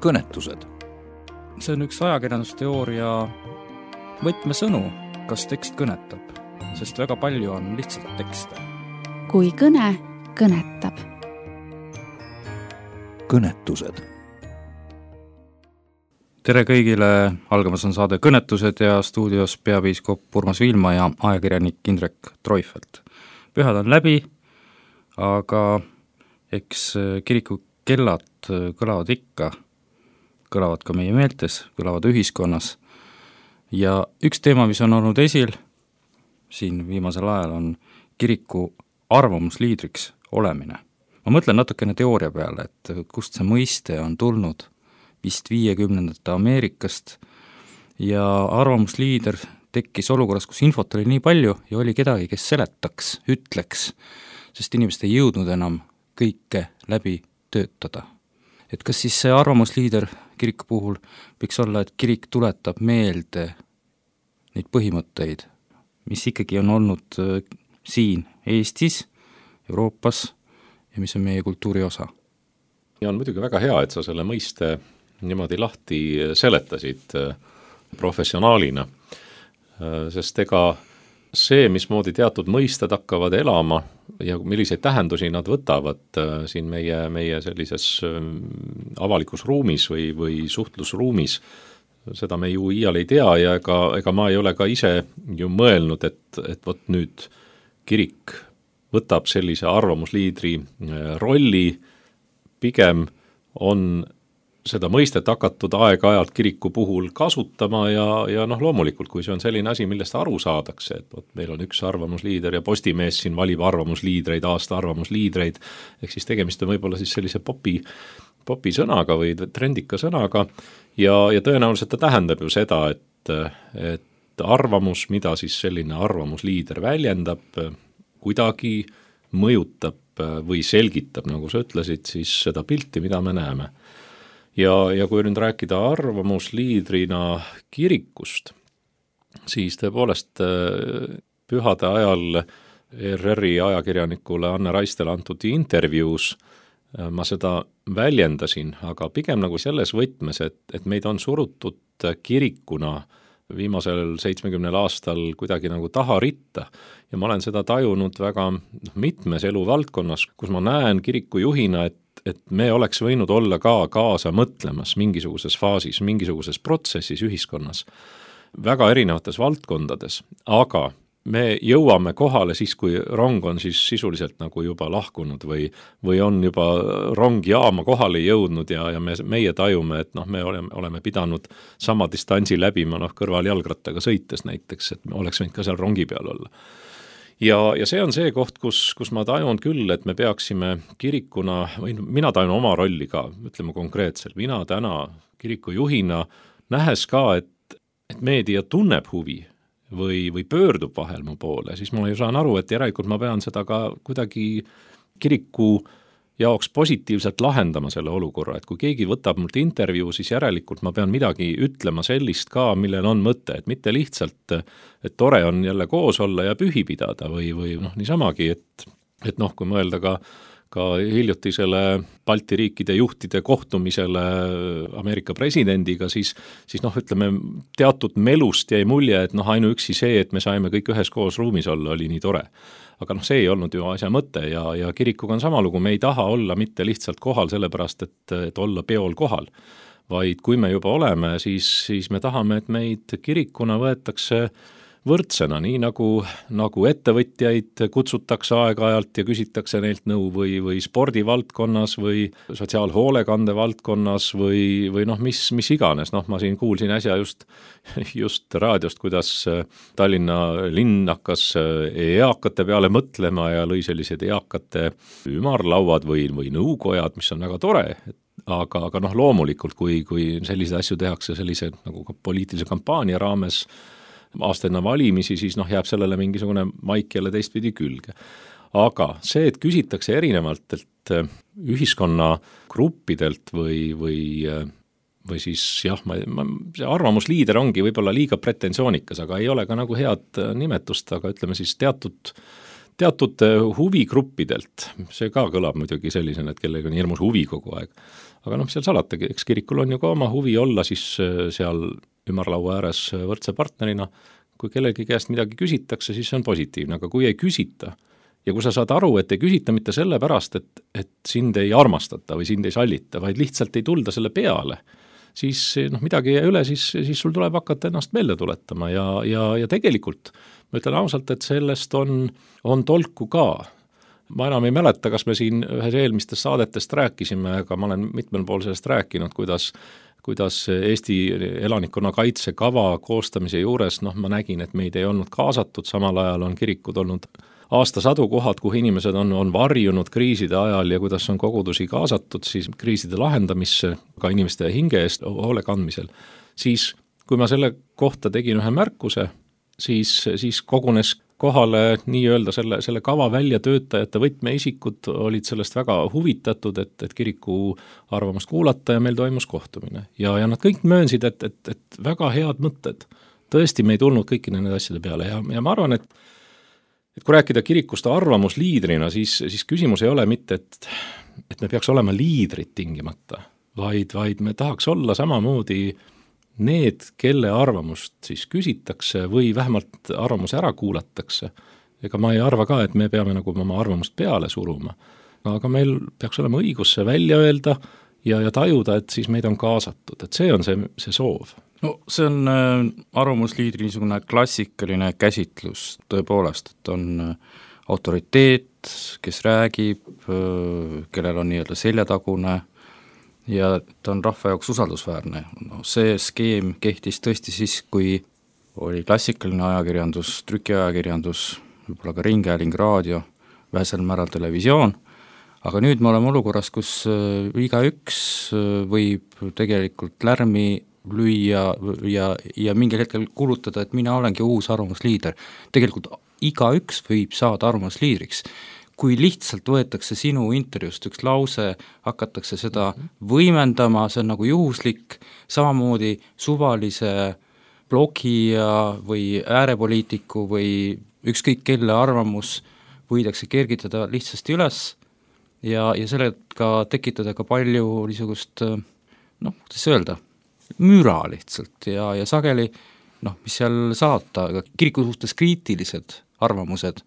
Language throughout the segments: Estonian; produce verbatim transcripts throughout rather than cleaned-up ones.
kõnetused. See on üks ajakirjandusteooria võtmesõnu, kas tekst kõnetab, sest väga palju on lihtsalt tekste. Kui kõne kõnetab. Kõnetused. Tere kõigile, algamas on saade Kõnetused ja stuudios peapiiskop Urmas Viilma ja ajakirjanik Indrek Troifelt. Pühad on läbi, aga eks kiriku kellad kõlavad ikka, kõlavad ka meie meeltes, kõlavad ühiskonnas. Ja üks teema, mis on olnud esil siin viimasel ajal, on kiriku arvamusliidriks olemine. Ma mõtlen natukene teooria peale, et kust see mõiste on tulnud vist viiekümnendate Ameerikast ja arvamusliider tekkis olukorras, kus infot oli nii palju ja oli kedagi, kes seletaks, ütleks, sest inimesed ei jõudnud enam kõike läbi töötada. Et kas siis see arvamusliider kiriku puhul võiks olla, et kirik tuletab meelde neid põhimõtteid, mis ikkagi on olnud siin Eestis, Euroopas ja mis on meie kultuuri osa. Ja on muidugi väga hea, et sa selle mõiste niimoodi lahti seletasid professionaalina, sest ega see, mismoodi teatud mõisted hakkavad elama ja milliseid tähendusi nad võtavad siin meie, meie sellises avalikus ruumis või, või suhtlusruumis, seda me ju iial ei tea ja ega, ega ma ei ole ka ise ju mõelnud, et, et võt nüüd kirik võtab sellise arvamusliidri rolli, pigem on seda mõistet hakatud aeg-ajalt kiriku puhul kasutama ja, ja noh, loomulikult, kui see on selline asi, millest aru saadakse, et võt, meil on üks arvamusliider ja Postimees siin valib arvamusliidreid, aasta arvamusliidreid, ehk siis tegemist on võib-olla siis sellise popi, popi sõnaga või trendika sõnaga ja, ja tõenäoliselt ta tähendab ju seda, et, et arvamus, mida siis selline arvamusliider väljendab, kuidagi mõjutab või selgitab, nagu sa ütlesid, siis seda pilti, mida me näeme. Ja, ja kui nüüd rääkida arvamusliidrina kirikust, siis tõepoolest pühade ajal E R R-i ajakirjanikule Anne Raistele antud intervjuus ma seda väljendasin, aga pigem nagu selles võtmes, et, et meid on surutud kirikuna viimasel seitsmekümnel aastal kuidagi nagu taha ritta ja ma olen seda tajunud väga mitmes eluvaldkonnas, kus ma näen kirikujuhina, et et me oleks võinud olla ka kaasa mõtlemas mingisuguses faasis, mingisuguses protsessis ühiskonnas, väga erinevates valdkondades, aga me jõuame kohale siis, kui rong on siis sisuliselt nagu juba lahkunud või, või on juba rong jaama kohale jõudnud ja, ja me, meie tajume, et noh, me oleme, oleme pidanud sama distantsi läbima noh, kõrval jalgrattaga sõites näiteks, et me oleks võinud ka seal rongi peal olla. Ja, ja see on see koht, kus, kus ma tajun küll, et me peaksime kirikuna, või mina tajun oma rolli ka, ütleme konkreetselt, mina täna kirikujuhina nähes ka, et, et meedia tunneb huvi või, või pöördub vahel mu poole, siis ma ju saan aru, et järelikult ma pean seda ka kuidagi kiriku jaoks positiivselt lahendama selle olukorra, et kui keegi võtab mult intervjuu, siis järelikult ma pean midagi ütlema sellist ka, millel on mõte, et mitte lihtsalt, et tore on jälle koos olla ja pühi pidada või, või noh, niisamagi, et, et noh, kui mõelda ka, ka hiljutisele Balti riikide juhtide kohtumisele Ameerika presidendiga, siis, siis noh, ütleme, teatud melust jäi mulje, et noh, ainuüksi see, et me saime kõik üheskoos ruumis olla, oli nii tore. Aga noh, see ei olnud ju asja mõte ja, ja kirikuga on sama lugu, me ei taha olla mitte lihtsalt kohal sellepärast, et, et olla peol kohal, vaid kui me juba oleme, siis, siis me tahame, et meid kirikuna võetakse võrdsena, nii nagu, nagu ettevõtjaid kutsutakse aeg-ajalt ja küsitakse neilt nõu või, või spordivaldkonnas või sotsiaalhoolekande valdkonnas või, või noh, mis, mis iganes. Noh, ma siin kuulsin äsja just, just raadiost, kuidas Tallinna linn hakkas eakate peale mõtlema ja lõi sellised eakate ümarlauad või, või nõukojad, mis on väga tore, aga, aga noh, loomulikult, kui, kui selliseid asju tehakse sellise nagu poliitilise kampaania raames aasta enne valimisi, siis noh, jääb sellele mingisugune maik jälle teistpidi külge. Aga see, et küsitakse erinevalt, et ühiskonna gruppidelt või, või, või siis jah, ma, ma, see arvamusliider ongi võib-olla liiga pretensioonikas, aga ei ole ka nagu head nimetust, aga ütleme siis teatud, teatud huvigruppidelt, see ka kõlab muidugi sellisena, et kellega on hirmus huvi kogu aeg, aga noh, seal salata, eks kirikul on ju ka oma huvi olla siis seal ümarlaua ääres võrdse partnerina, kui kellegi käest midagi küsitakse, siis see on positiivne, aga kui ei küsita ja kui sa saad aru, et ei küsita mitte selle pärast, et, et sind ei armastata või sind ei sallita, vaid lihtsalt ei tulda selle peale, siis noh, midagi ei üle, siis, siis sul tuleb hakata ennast meelde tuletama ja, ja, ja tegelikult ma ütlen ausalt, et sellest on, on tolku ka. Ma enam ei mäleta, kas me siin ühes eelmistest saadetest rääkisime, aga ma olen mitmel pool sellest rääkinud, kuidas, kuidas Eesti elanikkonna kaitsekava koostamise juures, noh ma nägin, et meid ei olnud kaasatud, samal ajal on kirikud olnud aastasadu kohad, kuhu inimesed on, on varjunud kriiside ajal ja kuidas on kogudusi kaasatud siis kriiside lahendamisse, ka inimeste hinge eest hoole kandmisel. Siis, kui ma selle kohta tegin ühe märkuse, siis, siis kogunes kohale nii-öelda selle, selle kava väljatöötajate võtmeisikud olid sellest väga huvitatud, et, et kiriku arvamust kuulata ja meil toimus kohtumine. Ja, ja nad kõik möönsid, et, et, et väga head mõtted. Tõesti, me ei tulnud kõiki nende asjade peale ja, ja ma arvan, et et kui rääkida kirikust arvamusliidrina, siis, siis küsimus ei ole mitte, et, et me peaks olema liidrid tingimata, vaid, vaid me tahaks olla samamoodi need, kelle arvamust siis küsitakse või vähemalt arvamus ära kuulatakse. Ega ma ei arva ka, et me peame nagu oma arvamust peale suruma, aga meil peaks olema õigus see välja öelda ja, ja tajuda, et siis meid on kaasatud, et see on see, see soov. No see on äh, arvamusliidri niisugune klassikaline käsitlus tõepoolest, et on äh, autoriteet, kes räägib, äh, kellel on nii-öelda seljatagune ja ta on rahva jaoks usaldusväärne. No, see skeem kehtis tõesti siis, kui oli klassikaline ajakirjandus, trükiajakirjandus, võib-olla ka ringhääling, raadio, vähesel määral televisioon, aga nüüd me oleme olukorras, kus äh, igaüks äh, võib tegelikult lärmi lüüa ja, ja mingil hetkel kuulutada, et mina olengi uus arvamusliider. Tegelikult igaüks võib saada arvamusliidriks. Kui lihtsalt võetakse sinu intervjuust üks lause, hakatakse seda võimendama, see on nagu juhuslik, samamoodi suvalise blogija või äärepoliitiku või ükskõik kelle arvamus võidakse kergitada lihtsasti üles ja, ja sellega tekitada ka palju niisugust, noh, kuidas öelda, müra lihtsalt ja, ja sageli, noh, mis seal saata, aga kiriku suhtes kriitilised arvamused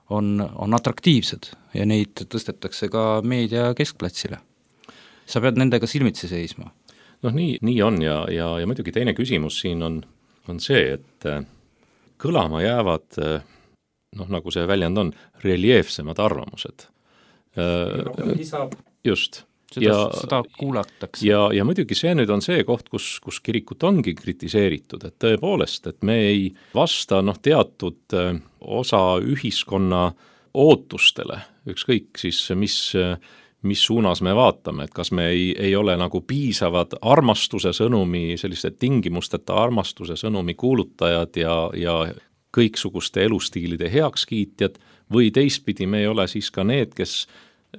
on, on atraktiivsed ja neid tõstetakse ka meedia keskplatsile. Sa pead nendega silmitsi seisma. Noh, nii, nii on ja, ja, ja muidugi teine küsimus siin on, on see, et kõlama jäävad, noh, nagu see väljend on, reljeefsemad arvamused. Lisab. Just. Seda, ja, seda kuulatakse. Ja, ja muidugi see nüüd on see koht, kus, kus kirikut ongi kritiseeritud, et tõepoolest, et me ei vasta noh, teatud osa ühiskonna ootustele, ükskõik siis, mis, mis suunas me vaatame, et kas me ei, ei ole nagu piisavad armastuse sõnumi, selliste tingimusteta armastuse sõnumi kuulutajad ja, ja kõiksuguste elustiilide heakskiitjad või teistpidi me ei ole siis ka need, kes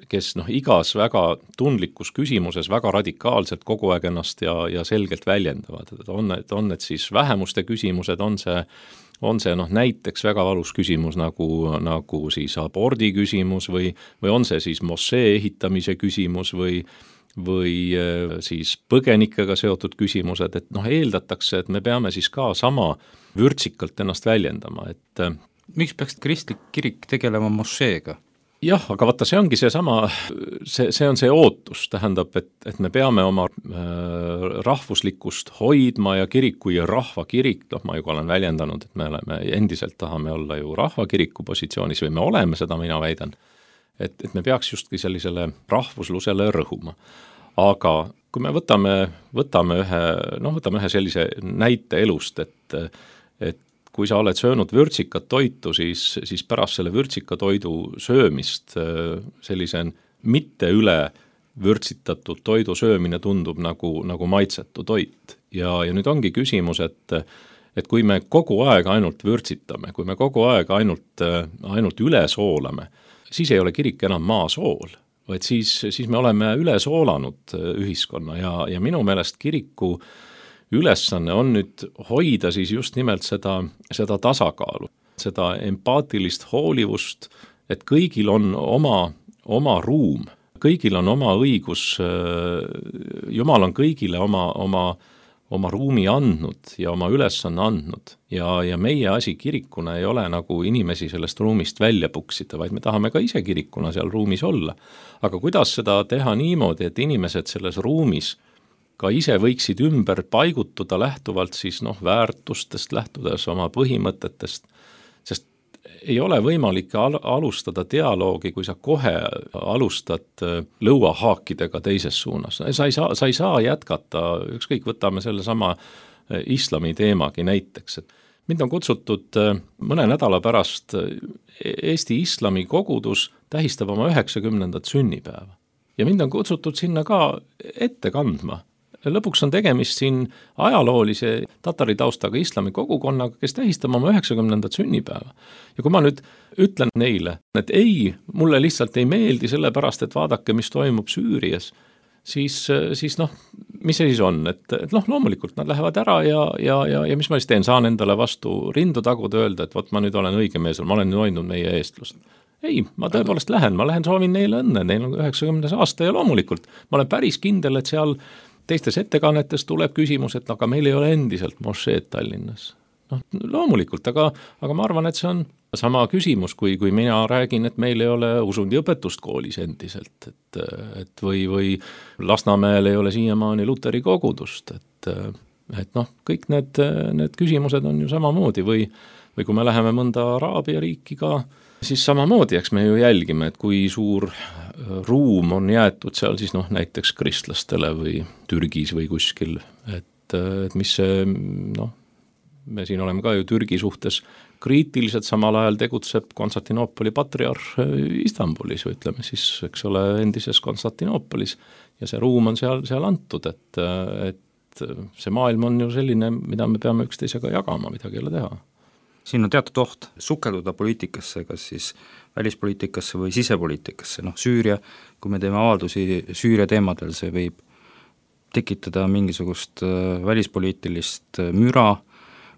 kes noh, igas väga tundlikus küsimuses väga radikaalselt kogu aeg ennast ja, ja selgelt väljendavad. On, et on need siis vähemuste küsimused, on see, on see noh, näiteks väga valus küsimus nagu, nagu siis abordi küsimus või, või on see siis mossee ehitamise küsimus või, või siis põgenikega seotud küsimused, et noh, eeldatakse, et me peame siis ka sama vürtsikalt ennast väljendama. Et miks peaks kristlik kirik tegelema mosseega? Jah, aga vaata, see ongi see sama, see, see on see ootus, tähendab, et, et me peame oma äh, rahvuslikkust hoidma ja kirik kui rahvakirik, noh, ma juba olen väljendanud, et me oleme, endiselt tahame olla ju rahvakiriku positsioonis või me oleme, seda mina väidan, et, et me peaks justki sellisele rahvuslusele rõhuma. Aga kui me võtame, võtame ühe, noh, võtame ühe sellise näite elust, et, et kui sa oled söönud vürtsikat toitu, siis, siis pärast selle vürtsika toidu söömist sellise mitte üle vürtsitatud toidu söömine tundub nagu, nagu maitsetu toit. Ja, ja nüüd ongi küsimus, et, et kui me kogu aeg ainult vürtsitame, kui me kogu aeg ainult, ainult üle soolame, siis ei ole kirik enam maasool, vaid siis, siis me oleme üle soolanud ühiskonna ja, ja minu meelest kiriku ülesanne on nüüd hoida siis just nimelt seda, seda tasakaalu, seda empaatilist hoolivust et kõigil on oma, oma ruum, kõigil on oma õigus, Jumal on kõigile oma, oma, oma ruumi andnud ja oma ülesanne andnud ja, ja meie asi kirikuna ei ole nagu inimesi sellest ruumist välja puksida, vaid me tahame ka ise kirikuna seal ruumis olla. Aga kuidas seda teha niimoodi, et inimesed selles ruumis ka ise võiksid ümber paigutuda lähtuvalt siis noh, väärtustest, lähtudes oma põhimõtetest, sest ei ole võimalik al- alustada dialoogi, kui sa kohe alustad lõuahaakidega teises suunas. Sa ei saa, sa ei saa jätkata, ükskõik võtame selle sama islami teemagi näiteks, et mind on kutsutud mõne nädala pärast Eesti islami kogudus tähistab oma üheksakümnendat sünnipäeva ja mind on kutsutud sinna ka ette kandma. Lõpuks on tegemist siin ajaloolise tatari taustaga islami kogukonnaga, kes tähistab oma üheksakümnendat sünnipäeva. Ja kui ma nüüd ütlen neile, et ei, mulle lihtsalt ei meeldi sellepärast, et vaadake, mis toimub Süürias, siis, siis noh, mis see siis on, et, et noh, loomulikult nad lähevad ära ja, ja, ja, ja mis ma siis teen, saan endale vastu rindu taguda öelda, et vot ma nüüd olen õige mees, ma olen hoidnud meie eestlust. Ei, ma tõepoolest lähen, ma lähen soovin neile õnne, neil on üheksakümnes aasta ja loomulikult ma olen päris kindel, et seal teistes ettekannetes tuleb küsimus, et aga meil ei ole endiselt mošeed Tallinnas. Noh, loomulikult, aga, aga ma arvan, et see on sama küsimus, kui, kui mina räägin, et meil ei ole usundi õpetust koolis endiselt, et, et või, või Lasnamäel ei ole siiamaani Luteri kogudust, et, et noh, kõik need, need küsimused on ju samamoodi või, või kui me läheme mõnda Araabia riiki ka, siis samamoodi, eks me ju jälgime, et kui suur ruum on jäetud seal siis noh, näiteks kristlastele või Türgis või kuskil, et, et mis see, noh, me siin oleme ka ju Türgi suhtes kriitiliselt, samal ajal tegutseb Konstantinoopoli patriarh Istanbulis, või ütleme siis, eks ole, endises Konstantinoopolis ja see ruum on seal, seal antud, et, et see maailm on ju selline, mida me peame üksteisega jagama, midagi ei ole teha. Siin on teatud oht sukelduda poliitikasse, kas siis välispoliitikasse või sisepoliitikasse, noh Süüria, kui me teeme avaldusi Süüria teemadel, see võib tekitada mingisugust välispoliitilist müra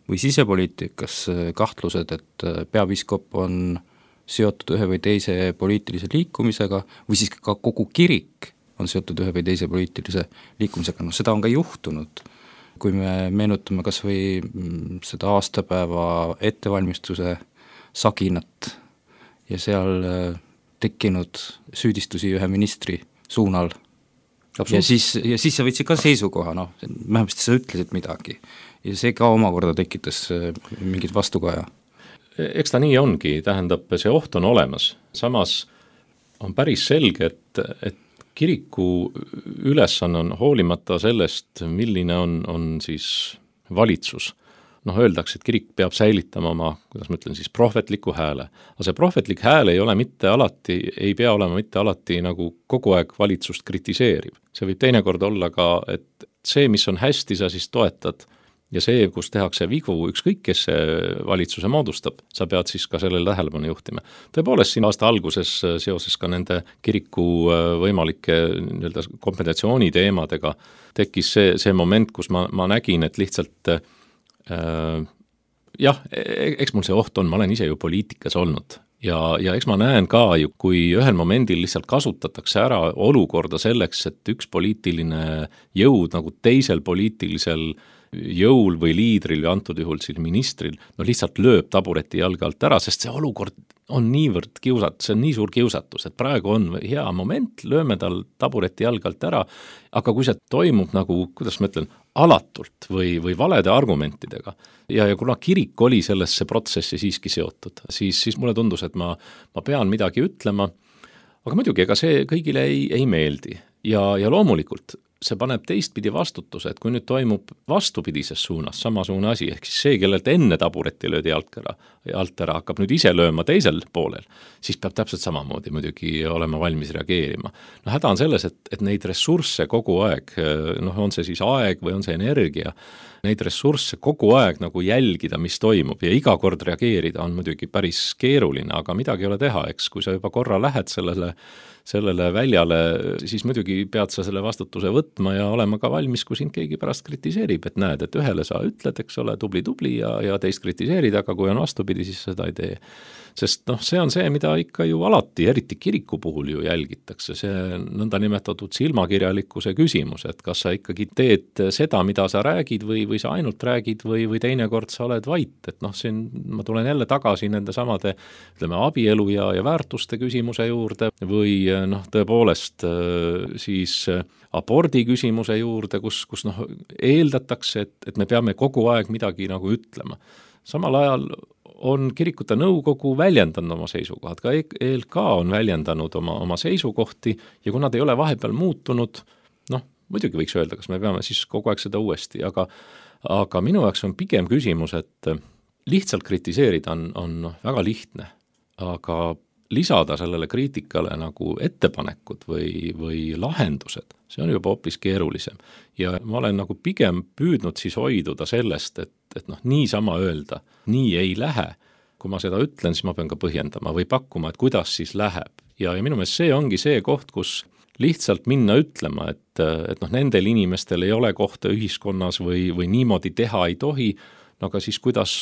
või sisepoliitikas kahtlused, et peapiiskop on seotud ühe või teise poliitilise liikumisega või siis ka kogu kirik on seotud ühe või teise poliitilise liikumisega, noh seda on ka juhtunud. Kui me meenutame kas või seda aastapäeva ettevalmistuse saginat ja seal tekkinud süüdistusi ühe ministri suunal. Ja siis, ja siis sa võtsid ka seisukoha, noh, vähemasti sa ütlesid midagi ja see ka omakorda tekitas mingit vastukaja. Eks ta nii ongi, tähendab, see oht on olemas, samas on päris selge, et, et kiriku ülesanne on hoolimata sellest, milline on, on siis valitsus. Noh, öeldakse, et kirik peab säilitama oma, kuidas ma ütlen siis, prohvetliku hääle. Aga see prohvetlik hääl ei ole mitte alati, ei pea olema mitte alati nagu kogu aeg valitsust kritiseeriv. See võib teinekord olla ka, et see, mis on hästi, sa siis toetad ja see, kus tehakse vigu, ükskõik kes see valitsuse moodustab, sa pead siis ka sellele tähelepanu juhtima. Tõepoolest siin aasta alguses seoses ka nende kiriku võimalike nii-öelda kompensatsiooni teemadega tekkis see, see moment, kus ma, ma nägin, et lihtsalt äh, jah, eks mul see oht on, ma olen ise ju poliitikas olnud ja, ja eks ma näen ka ju, kui ühel momendil lihtsalt kasutatakse ära olukorda selleks, et üks poliitiline jõud nagu teisel poliitilisel jõul või liidril või antud juhul siis ministril, no lihtsalt lööb tabureti jalge alt ära, sest see olukord on niivõrd kiusat, see on nii suur kiusatus, et praegu on hea moment, lööme tal tabureti jalge alt ära, aga kui see toimub nagu, kuidas ma ütlen, alatult või, või valede argumentidega ja, ja kuna kirik oli sellesse protsessi siiski seotud, siis, siis mulle tundus, et ma, ma pean midagi ütlema, aga muidugi, ega see kõigile ei, ei meeldi ja, ja loomulikult see paneb teistpidi vastutuse, et kui nüüd toimub vastupidises suunas samasugune asi, ehk siis see, kellelt enne tabureti löödi alt ära, alt ära, hakkab nüüd ise lööma teisel poolel, siis peab täpselt samamoodi muidugi olema valmis reageerima. No häda on selles, et, et neid ressursse kogu aeg, noh on see siis aeg või on see energia, neid ressursse kogu aeg nagu jälgida, mis toimub ja iga kord reageerida on muidugi päris keeruline, aga midagi ei ole teha, eks kui sa juba korra lähed sellele sellele väljale, siis muidugi pead sa selle vastutuse võtma ja olema ka valmis, kui sind keegi pärast kritiseerib, et näed, et ühele sa ütled, eks ole, tubli-tubli ja, ja teist kritiseerid, aga kui on vastupidi, siis seda ei tee. Sest noh, see on see, mida ikka ju alati, eriti kiriku puhul ju jälgitakse, see nõnda nimetatud silmakirjalikkuse küsimus, et kas sa ikkagi teed seda, mida sa räägid või, või sa ainult räägid või, või teinekord sa oled vait, et noh, siin ma tulen jälle tagasi nende samade, ütleme, abielu ja, ja väärtuste küsimuse juurde või noh, tõepoolest siis abordi küsimuse juurde, kus, kus noh, eeldatakse, et, et me peame kogu aeg midagi nagu ütlema. Samal ajal on kirikute nõukogu väljendanud oma seisukohad, ka E L K on väljendanud oma, oma seisukohti ja kui nad ei ole vahepeal muutunud, noh, muidugi võiks öelda, kas me peame siis kogu aeg seda uuesti, aga, aga minu jaoks on pigem küsimus, et lihtsalt kritiseerida on, on väga lihtne, aga lisada sellele kriitikale nagu ettepanekud või, või lahendused, see on juba hoopis keerulisem. Ja ma olen nagu pigem püüdnud siis hoiduda sellest, et, et noh, niisama öelda, nii ei lähe. Kui ma seda ütlen, siis ma pean ka põhjendama või pakkuma, et kuidas siis läheb. Ja, ja minu meelest see ongi see koht, kus lihtsalt minna ütlema, et, et noh, nendel inimestel ei ole kohta ühiskonnas või, või niimoodi teha ei tohi, no aga siis kuidas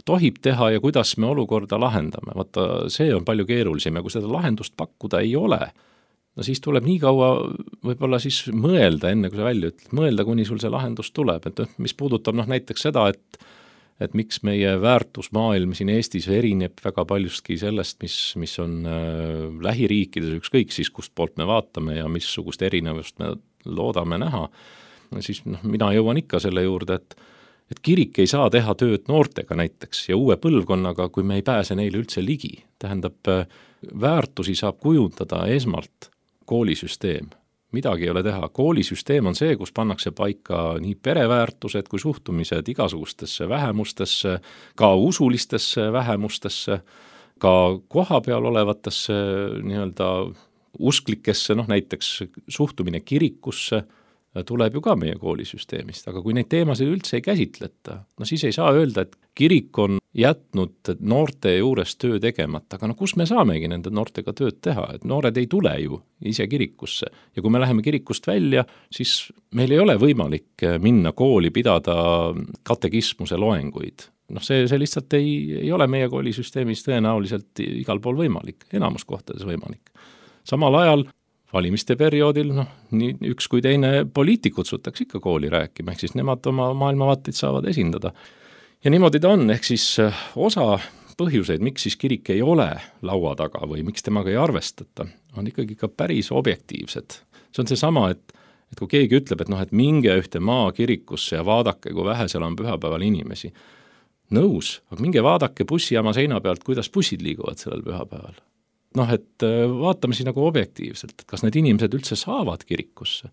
tohib teha ja kuidas me olukorda lahendame. Vaata, see on palju keerulisem ja kui seda lahendust pakkuda ei ole, no siis tuleb nii kaua võib-olla siis mõelda, enne kui sa välja ütled, mõelda, kuni sul see lahendus tuleb. Et mis puudutab noh, näiteks seda, et, et miks meie väärtusmaailm siin Eestis erineb väga paljustki sellest, mis, mis on äh, lähiriikides ükskõik siis, kust poolt me vaatame ja missugust erinevust me loodame näha, siis noh, mina jõuan ikka selle juurde, et et kirik ei saa teha tööd noortega näiteks ja uue põlvkonnaga, kui me ei pääse neile üldse ligi. Tähendab, väärtusi saab kujundada esmalt koolisüsteem. Midagi ei ole teha. Koolisüsteem on see, kus pannakse paika nii pereväärtused kui suhtumised igasugustesse vähemustesse, ka usulistesse vähemustesse, ka koha peal olevatesse nii-öelda usklikesse, noh näiteks suhtumine kirikusse, tuleb ju ka meie koolisüsteemist, aga kui neid teemasid üldse ei käsitleta, no siis ei saa öelda, et kirik on jätnud noorte juures töö tegemata, aga no kus me saamegi nende noortega tööd teha, et noored ei tule ju ise kirikusse ja kui me läheme kirikust välja, siis meil ei ole võimalik minna kooli pidada katekismuse loenguid. Noh, see, see lihtsalt ei, ei ole meie koolisüsteemis tõenäoliselt igal pool võimalik, enamus kohtades võimalik. Samal ajal valimiste perioodil, noh, nii üks kui teine poliitik kutsutakse ikka kooli rääkima, ehk siis nemad oma maailmavaateid saavad esindada. Ja niimoodi ta on, ehk siis osa põhjuseid, miks siis kirik ei ole laua taga või miks temaga ei arvestata, on ikkagi ka päris objektiivsed. See on see sama, et, et kui keegi ütleb, et noh, et minge ühte maakirikusse ja vaadake, kui vähe seal on pühapäeval inimesi. Nõus, aga minge vaadake bussijaama seina pealt, kuidas bussid liiguvad sellel pühapäeval. Noh, et vaatame siis nagu objektiivselt, et kas need inimesed üldse saavad kirikusse.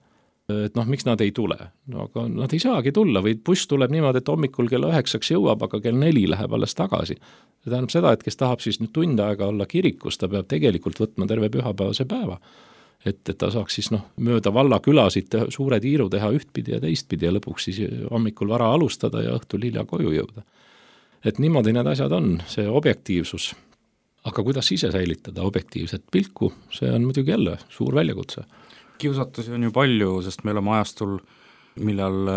Et noh, miks nad ei tule? No aga nad ei saagi tulla või buss tuleb niimoodi, et hommikul kella üheksaks jõuab, aga kell neli läheb alles tagasi. See tähendab seda, et kes tahab siis nüüd tund aega olla kirikus, ta peab tegelikult võtma terve pühapäevase päeva. Et, et ta saaks siis noh, mööda valla külasid suure tiiru teha ühtpidi ja teistpidi ja lõpuks siis hommikul vara alustada ja õhtul hilja koju jõuda. Et niimoodi need asjad on, see objektiivsus. Aga kuidas ise säilitada objektiivset pilku, see on muidugi jälle suur väljakutse. Kiusatusi on ju palju, sest me oleme ajastul, millal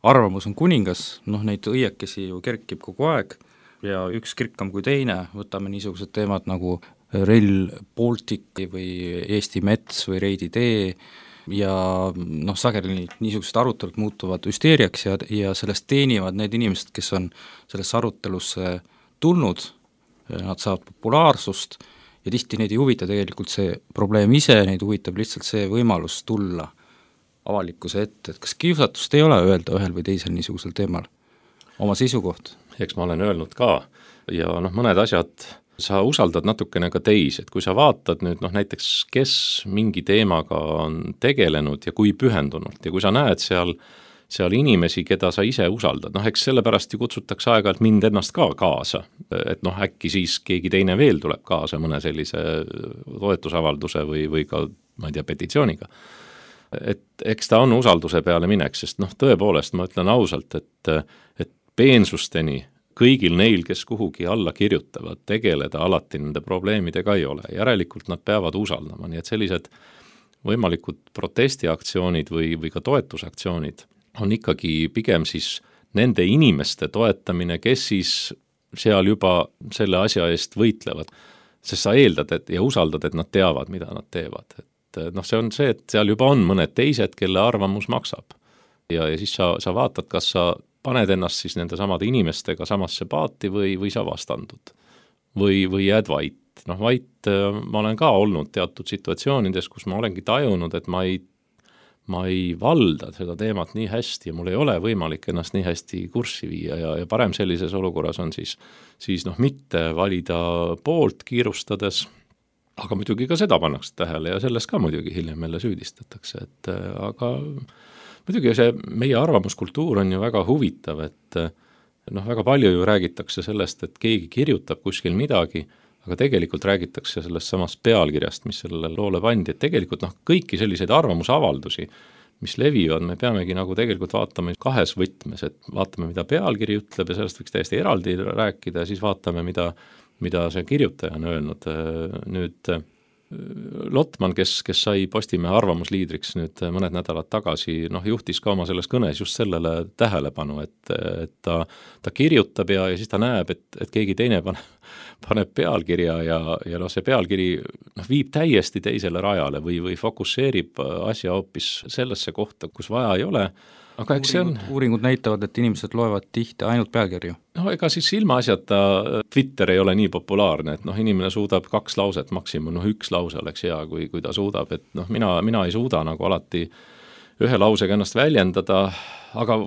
arvamus on kuningas, noh neid õiekesi ju kerkib kogu aeg ja üks kirkam kui teine, võtame niisugused teemad nagu Rail Baltic või Eesti mets või Reidi tee ja noh, sageli niisugused arutelud muutuvad hüsteeriaks ja, ja sellest teenivad need inimesed, kes on sellesse arutelusse tulnud, nad saavad populaarsust ja tihti neid ei huvita tegelikult see probleem ise, neid huvitab lihtsalt see võimalus tulla avalikkuse ette, et kas kiusatust ei ole öelda ühel või teisel niisugusel teemal oma seisukoht? Eks ma olen öelnud ka ja noh, mõned asjad sa usaldad natukene ka teisi, et kui sa vaatad nüüd noh, näiteks kes mingi teemaga on tegelenud ja kui pühendunult ja kui sa näed seal seal inimesi, keda sa ise usaldad. Noh, eks sellepärast ju kutsutakse aega-ajalt mind ennast ka kaasa, et noh, äkki siis keegi teine veel tuleb kaasa mõne sellise toetusavalduse või, või ka, ma ei tea, petitsiooniga. Et eks ta on usalduse peale mineks, sest noh, tõepoolest ma ütlen ausalt, et, et peensusteni kõigil neil, kes kuhugi alla kirjutavad, tegeleda alati nende probleemidega ei ole. Järelikult nad peavad usaldama, nii et sellised võimalikud protestiaktsioonid või, või ka toetusaktsioonid on ikkagi pigem siis nende inimeste toetamine, kes siis seal juba selle asja eest võitlevad. Sest sa eeldad et, ja usaldad, et nad teavad, mida nad teevad. Et noh, see on see, et seal juba on mõned teised, kelle arvamus maksab. Ja, ja siis sa, sa vaatad, kas sa paned ennast siis nende samade inimestega samasse paati või, või sa vastandud. Või, või jääd vait. Noh, vait ma olen ka olnud teatud situatsioonides, kus ma olengi tajunud, et ma ei, ma ei valda seda teemat nii hästi ja mul ei ole võimalik ennast nii hästi kurssi viia ja, ja parem sellises olukorras on siis, siis noh, mitte valida poolt kiirustades, aga muidugi ka seda pannakse tähele ja sellest ka muidugi hiljem jälle süüdistatakse, et aga muidugi see meie arvamuskultuur on ju väga huvitav, et noh, väga palju ju räägitakse sellest, et keegi kirjutab kuskil midagi, aga tegelikult räägitakse sellest samast pealkirjast, mis sellele loole pandi, et tegelikult noh, kõiki selliseid arvamusavaldusi, mis levivad, me peamegi nagu tegelikult vaatama kahes võtmes, et vaatame, mida pealkiri ütleb ja sellest võiks täiesti eraldi rääkida ja siis vaatame, mida, mida see kirjutaja on öelnud. Nüüd Lotman, kes, kes sai Postimehe arvamusliidriks nüüd mõned nädalad tagasi, noh, juhtis ka oma selles kõnes just sellele tähelepanu, et, et ta, ta kirjutab ja, ja siis ta näeb, et, et keegi teine paneb, paneb pealkirja ja, ja noh, see pealkiri noh, viib täiesti teisele rajale või, või fokusseerib asja hoopis sellesse kohta, kus vaja ei ole. Aga eks uuringud, see on... uuringud näitavad, et inimesed loevad tihti ainult pealkirju. No ega siis ilmaasjata Twitter ei ole nii populaarne, et noh, inimene suudab kaks lauset maksimum, noh üks lause oleks hea, kui, kui ta suudab, et noh, mina, mina ei suuda nagu alati ühe lausega ennast väljendada, aga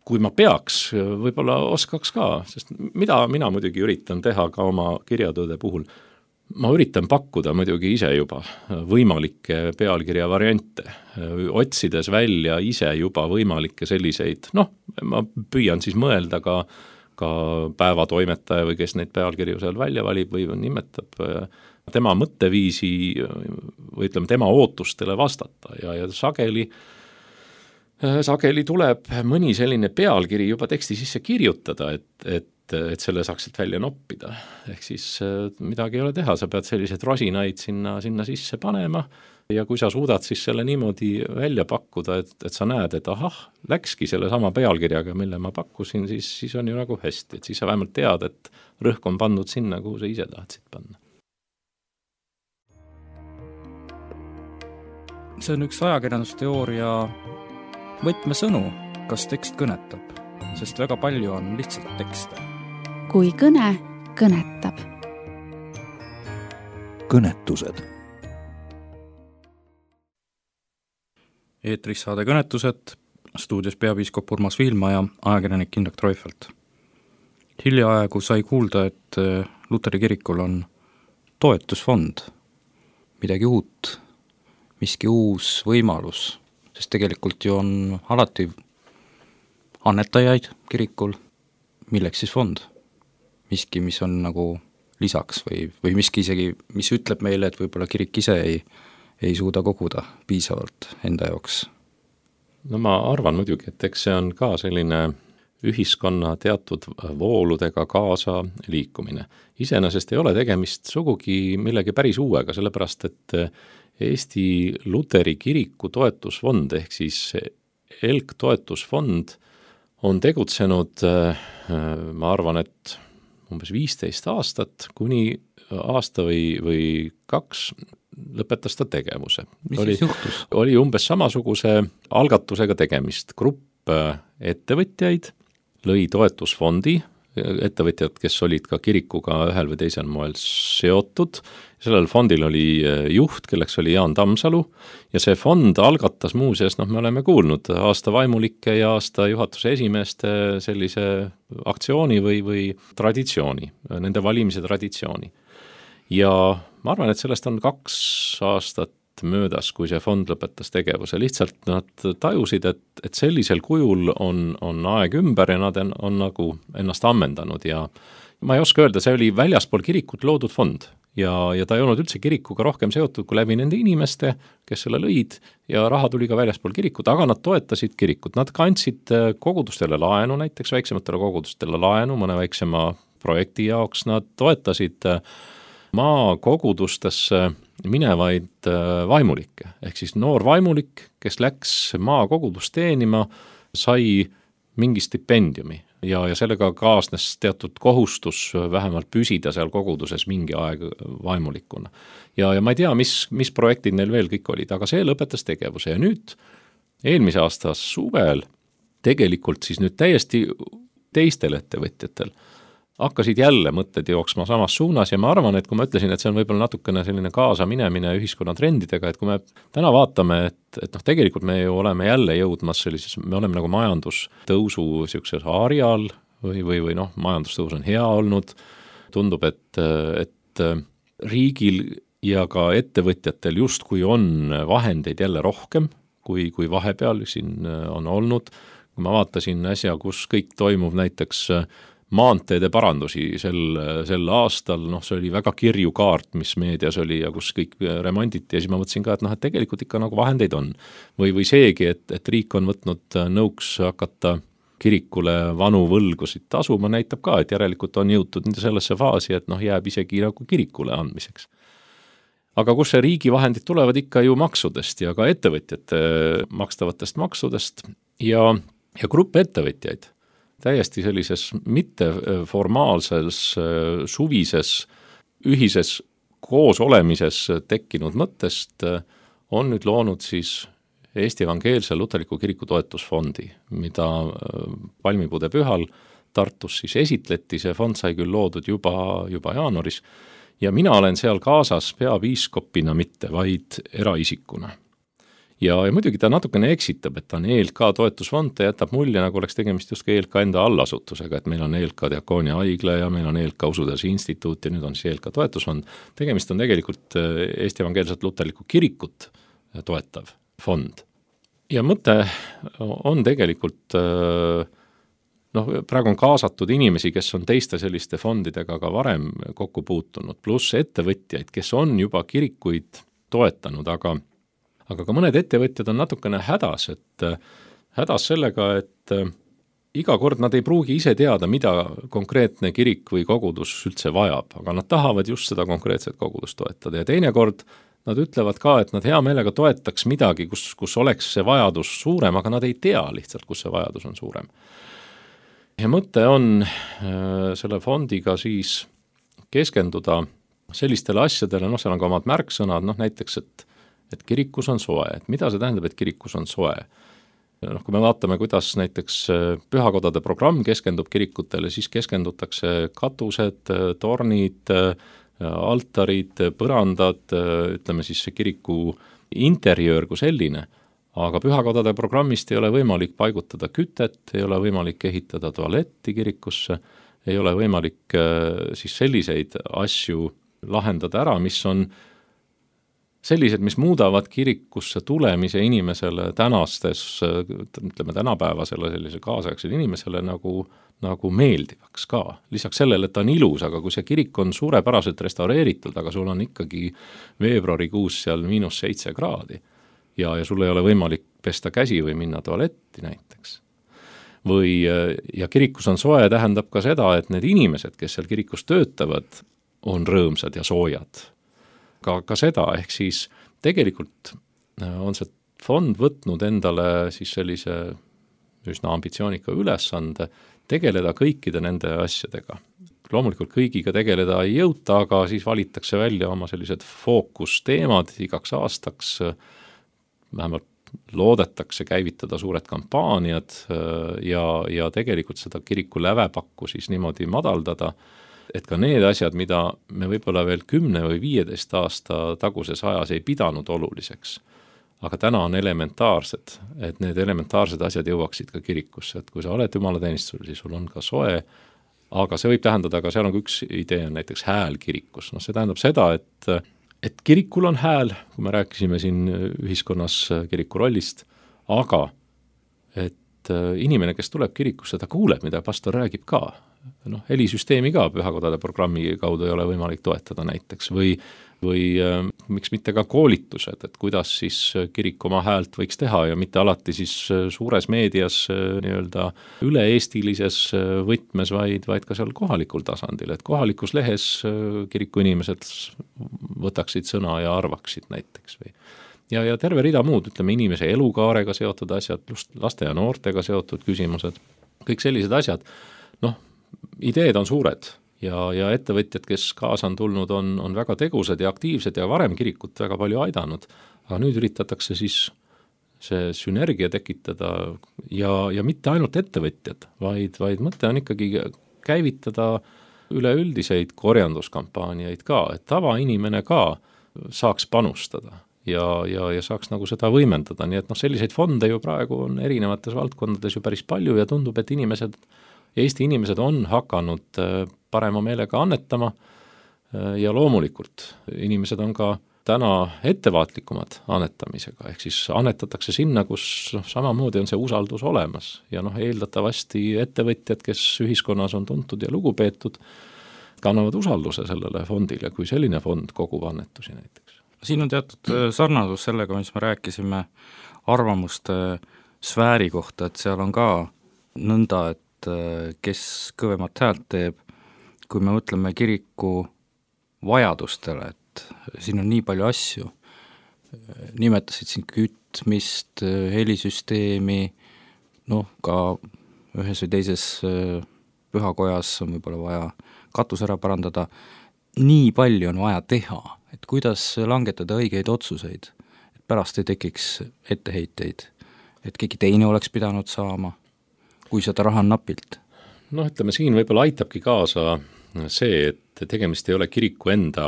kui ma peaks, võib-olla oskaks ka, sest mida mina muidugi üritan teha ka oma kirjatööde puhul, ma üritan pakkuda muidugi ise juba võimalikke pealkirja variante, otsides välja ise juba võimalikke selliseid, noh, ma püüan siis mõelda ka, ka päevatoimetaja või kes neid pealkirju seal välja valib või nimetab tema mõtteviisi või ütleme tema ootustele vastata ja, ja sageli sageli tuleb mõni selline pealkiri juba teksti sisse kirjutada, et, et et selle saaks sealt välja noppida. Ehk siis midagi ei ole teha, sa pead sellised rosinaid sinna, sinna sisse panema ja kui sa suudad siis selle niimoodi välja pakkuda, et, et sa näed, et ahah, läkski selle sama pealkirjaga, mille ma pakkusin, siis, siis on ju nagu hästi, et siis sa vähemalt tead, et rõhk on pandud sinna, kuhu sa ise tahtsid panna. See on üks ajakirjandusteooria võtmesõnu, kas tekst kõnetab, sest väga palju on lihtsalt tekste. Kui kõne kõnetab. Kõnetused. Eetris saade Kõnetused, stuudios peapiiskop Urmas Viilma ja ajakirjanik Indrek Troifelt. Hiljaaegu sai kuulda, et Luteri kirikul on toetusfond, midagi uut, miski uus võimalus, sest tegelikult ju on alati annetajaid kirikul, milleks siis fond? Miski, mis on nagu lisaks või, või miski isegi, mis ütleb meile, et võib-olla kirik ise ei, ei suuda koguda piisavalt enda jaoks. No ma arvan muidugi, et eks see on ka selline ühiskonna teatud vooludega kaasa liikumine. Iseenesest ei ole tegemist sugugi millegi päris uuega, sellepärast et Eesti Luteri kiriku toetusfond ehk siis Elk toetusfond on tegutsenud, ma arvan, et umbes viisteist aastat, kuni aasta või, või kaks lõpetas ta tegevuse. Mis oli, siis juhtus? Oli umbes samasuguse algatusega tegemist. Grupp ettevõtjaid lõi toetusfondi, ettevõtjad, kes olid ka kirikuga ühel või teisel moel seotud. Sellel fondil oli juht, kelleks oli Jaan Tammsalu ja see fond algatas muuseas, noh me oleme kuulnud aasta vaimulike ja aasta juhatuse esimeeste sellise aktsiooni või, või traditsiooni, nende valimise traditsiooni. Ja ma arvan, et sellest on kaks aastat möödas, kui see fond lõpetas tegevuse. Lihtsalt nad tajusid, et, et sellisel kujul on, on aeg ümber ja nad on, on nagu ennast ammendanud ja ma ei oska öelda, see oli väljaspool kirikut loodud fond ja, ja ta ei olnud üldse kirikuga rohkem seotud kui läbi nende inimeste, kes selle lõid ja raha tuli ka väljaspool kirikut, aga nad toetasid kirikut, nad ka andsid kogudustele laenu, näiteks väiksematele kogudustele laenu, mõne väiksema projekti jaoks, nad toetasid maakogudustesse minevaid vaimulikke, ehk siis noor vaimulik, kes läks maakogudust teenima, sai mingi stipendiumi ja, ja sellega kaasnes teatud kohustus vähemalt püsida seal koguduses mingi aeg vaimulikuna. Ja, ja ma ei tea, mis, mis projektid neil veel kõik olid, aga see lõpetas tegevuse ja nüüd eelmise aasta suvel tegelikult siis nüüd täiesti teistel ettevõtjatel hakkasid jälle mõtted jooksma samas suunas ja ma arvan, et kui ma ütlesin, et see on võib-olla natukene selline kaasa minemine ühiskonna trendidega, et kui me täna vaatame, et, et noh, tegelikult me ju oleme jälle jõudmas sellises, me oleme nagu majandustõusu niisuguses harjal või, või, või noh, majandustõus on hea olnud, tundub, et, et riigil ja ka ettevõtjatel justkui on vahendeid jälle rohkem, kui, kui vahepeal siin on olnud. Kui ma vaatasin äsja, kus kõik toimub näiteks maanteede parandusi sel, sel aastal, noh see oli väga kirju kaart, mis meedias oli ja kus kõik remonditi ja siis ma mõtlesin ka, et noh, et tegelikult ikka nagu vahendeid on. Või, või seegi, et, et riik on võtnud nõuks hakata kirikule vanu võlgusid tasuma, näitab ka, et järelikult on jõutud sellesse faasi, et noh, jääb isegi nagu kirikule andmiseks. Aga kus see riigi vahendid tulevad ikka ju maksudest ja ka ettevõtjate makstavatest maksudest ja, ja grupp ettevõtjaid täiesti sellises mitteformaalses suvises ühises koosolemises tekkinud mõttest on nüüd loonud siis Eesti Evangeelse Luterliku Kiriku toetusfondi, mida Palmipuude pühal Tartus siis esitleti, see fond sai küll loodud juba, juba jaanuaris ja mina olen seal kaasas peapiiskopina mitte, vaid eraisikuna. Ja, ja muidugi ta natukene eksitab, et ta on E L K toetusfond, ta jätab mulje, nagu oleks tegemist just ka E L K enda allasutusega, et meil on E L K Diakoonia haigla ja meil on E L K Usuteaduse instituut ja nüüd on siis E L K toetusfond. Tegemist on tegelikult Eesti Evangeelset Luterlikku Kirikut toetav fond. Ja mõte on tegelikult, noh, praegu on kaasatud inimesi, kes on teiste selliste fondidega ka varem kokku puutunud, pluss ettevõtjaid, kes on juba kirikuid toetanud, aga aga ka mõned ettevõtjad on natukene hädas, et hädas sellega, et iga kord nad ei pruugi ise teada, mida konkreetne kirik või kogudus üldse vajab, aga nad tahavad just seda konkreetset kogudust toetada ja teinekord nad ütlevad ka, et nad hea meelega toetaks midagi, kus, kus oleks see vajadus suurem, aga nad ei tea lihtsalt, kus see vajadus on suurem. Ja mõte on selle fondiga siis keskenduda sellistele asjadele, noh, seal on ka omad märksõnad, noh, näiteks, et et kirikus on soe, et mida see tähendab, et kirikus on soe? Noh, kui me vaatame, kuidas näiteks pühakodade programm keskendub kirikutele, siis keskendutakse katused, tornid, altarid, põrandad, ütleme siis see kiriku interjöör kui selline, aga pühakodade programmist ei ole võimalik paigutada kütet, ei ole võimalik ehitada tualetti kirikusse, ei ole võimalik siis selliseid asju lahendada ära, mis on sellised, mis muudavad kirikusse tulemise inimesele tänastes, ütleme tänapäevasele sellise kaasaegsele inimesele nagu, nagu meeldivaks ka. Lisaks sellele, et ta on ilus, aga kui see kirik on suurepäraselt restaureeritud, aga sul on ikkagi veebruarikuus seal miinus seitse kraadi ja, ja sul ei ole võimalik pesta käsi või minna tualetti näiteks. Või, ja kirikus on soe tähendab ka seda, et need inimesed, kes seal kirikus töötavad, on rõõmsad ja soojad. Ka, ka seda, ehk siis tegelikult on see fond võtnud endale siis sellise üsna ambitsioonika ülesande tegeleda kõikide nende asjadega. Loomulikult kõigiga tegeleda ei jõuta, aga siis valitakse välja oma sellised fookusteemad igaks aastaks, vähemalt loodetakse käivitada suured kampaaniad ja, ja tegelikult seda kiriku lävepakku siis niimoodi madaldada, et ka need asjad, mida me võib-olla veel kümne või viieteist aasta taguses ajas ei pidanud oluliseks, aga täna on elementaarsed, et need elementaarsed asjad jõuaksid ka kirikusse, et kui sa oled jumalateenistusel, siis sul on ka soe, aga see võib tähendada, aga seal on üks idee, on näiteks hääl kirikus, noh see tähendab seda, et, et kirikul on hääl, kui me rääkisime siin ühiskonnas kiriku rollist, aga et inimene, kes tuleb kirikusse, ta kuuleb, mida pastor räägib ka. noh, helisüsteemi ka pühakodade programmi kaudu ei ole võimalik toetada näiteks või või äh, miks mitte ka koolitused, et kuidas siis kirik oma häält võiks teha ja mitte alati siis suures meedias äh, nii-öelda üle-eestilises võtmes, vaid, vaid ka seal kohalikul tasandil, et kohalikus lehes äh, kiriku inimesed võtaksid sõna ja arvaksid näiteks või ja, ja terve rida muud, ütleme inimese elukaarega seotud asjad, just laste ja noortega seotud küsimused, kõik sellised asjad, noh, ideed on suured ja, ja ettevõtjad, kes kaasa on tulnud, on, on väga tegusad ja aktiivsed ja varem kirikut väga palju aidanud, aga nüüd üritatakse siis see sünergia tekitada ja, ja mitte ainult ettevõtjad, vaid, vaid mõte on ikkagi käivitada üleüldiseid korjanduskampaaniaid ka, et tavainimene ka saaks panustada ja, ja, ja saaks nagu seda võimendada, nii et noh, selliseid fonde ju praegu on erinevates valdkondades ju päris palju ja tundub, et inimesed Eesti inimesed on hakanud parema meelega annetama ja loomulikult inimesed on ka täna ettevaatlikumad annetamisega, ehk siis annetatakse sinna, kus noh, samamoodi on see usaldus olemas ja noh, eeldatavasti ettevõtjad, kes ühiskonnas on tuntud ja lugupeetud, kannavad usalduse sellele fondile, kui selline fond kogub annetusi näiteks. Siin on teatud sarnasus sellega, mis me rääkisime arvamuste sfääri kohta, et seal on ka nõnda, et kes kõvemat häält teeb, kui me mõtleme kiriku vajadustele, et siin on nii palju asju, nimetasid siin kütmist, helisüsteemi, noh, ka ühes või teises pühakojas on võib-olla vaja katus ära parandada, nii palju on vaja teha, et kuidas langetada õigeid otsuseid, et pärast ei tekiks etteheiteid, et keegi teine oleks pidanud saama, kui seda raha on napilt? Noh, ütleme, siin võib-olla aitabki kaasa see, et tegemist ei ole kiriku enda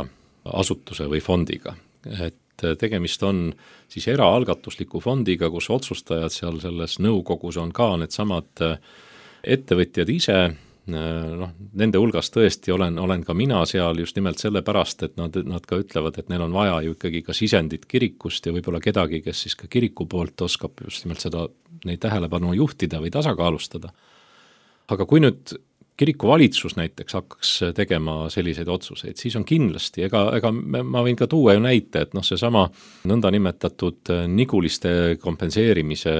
asutuse või fondiga. Et tegemist on siis eraalgatusliku fondiga, kus otsustajad seal selles nõukogus on ka need samad ettevõtjad ise, noh, nende hulgas tõesti olen, olen ka mina seal just nimelt sellepärast, et nad, nad ka ütlevad, et neil on vaja ju ikkagi ka sisendit kirikust ja võib-olla kedagi, kes siis ka kiriku poolt oskab just nimelt seda, neid tähelepanu juhtida või tasakaalustada. Aga kui nüüd kiriku valitsus näiteks hakkaks tegema selliseid otsuseid, siis on kindlasti, ega, ega ma võin ka tuua ju näite, et noh, see sama nõndanimetatud niguliste kompenseerimise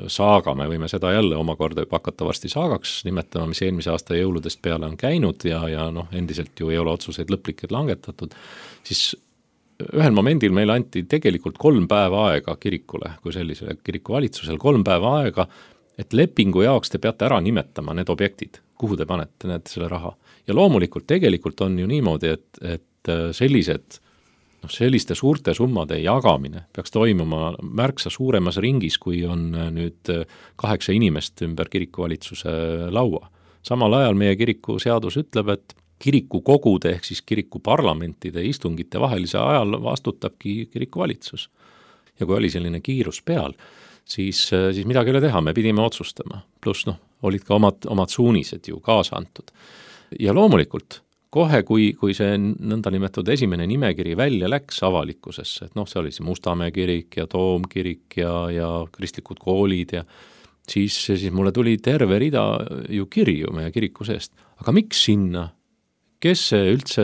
saaga, me võime seda jälle omakorda hakata varsti saagaks nimetama, mis eelmise aasta jõuludest peale on käinud ja, ja noh, endiselt ju ei ole otsuseid lõplikult langetatud, siis ühel momendil meile anti tegelikult kolm päeva aega kirikule, kui sellisele kiriku valitsusel kolm päeva aega, et lepingu jaoks te peate ära nimetama need objektid, kuhu te panete need selle raha. Ja loomulikult tegelikult on ju niimoodi, et, et sellised, noh, selliste suurte summade jagamine peaks toimuma märksa suuremas ringis, kui on nüüd kaheksa inimest ümber kirikuvalitsuse laua. Samal ajal meie kiriku seadus ütleb, et kiriku kogude ehk siis kiriku parlamentide istungite vahelise ajal vastutabki kirikuvalitsus. Ja kui oli selline kiirus peal, siis, siis midagi ei ole teha, me pidime otsustama. Pluss noh, olid ka omad, omad suunised ju kaasa antud. Ja loomulikult, kohe kui, kui see nõndanimetatud esimene nimekiri välja läks avalikkusesse, et noh, see oli see Mustamäe kirik ja Toomkirik ja, ja kristlikud koolid ja siis, siis mulle tuli terve rida ju kirju meie kiriku seest. Aga miks sinna? Kes see üldse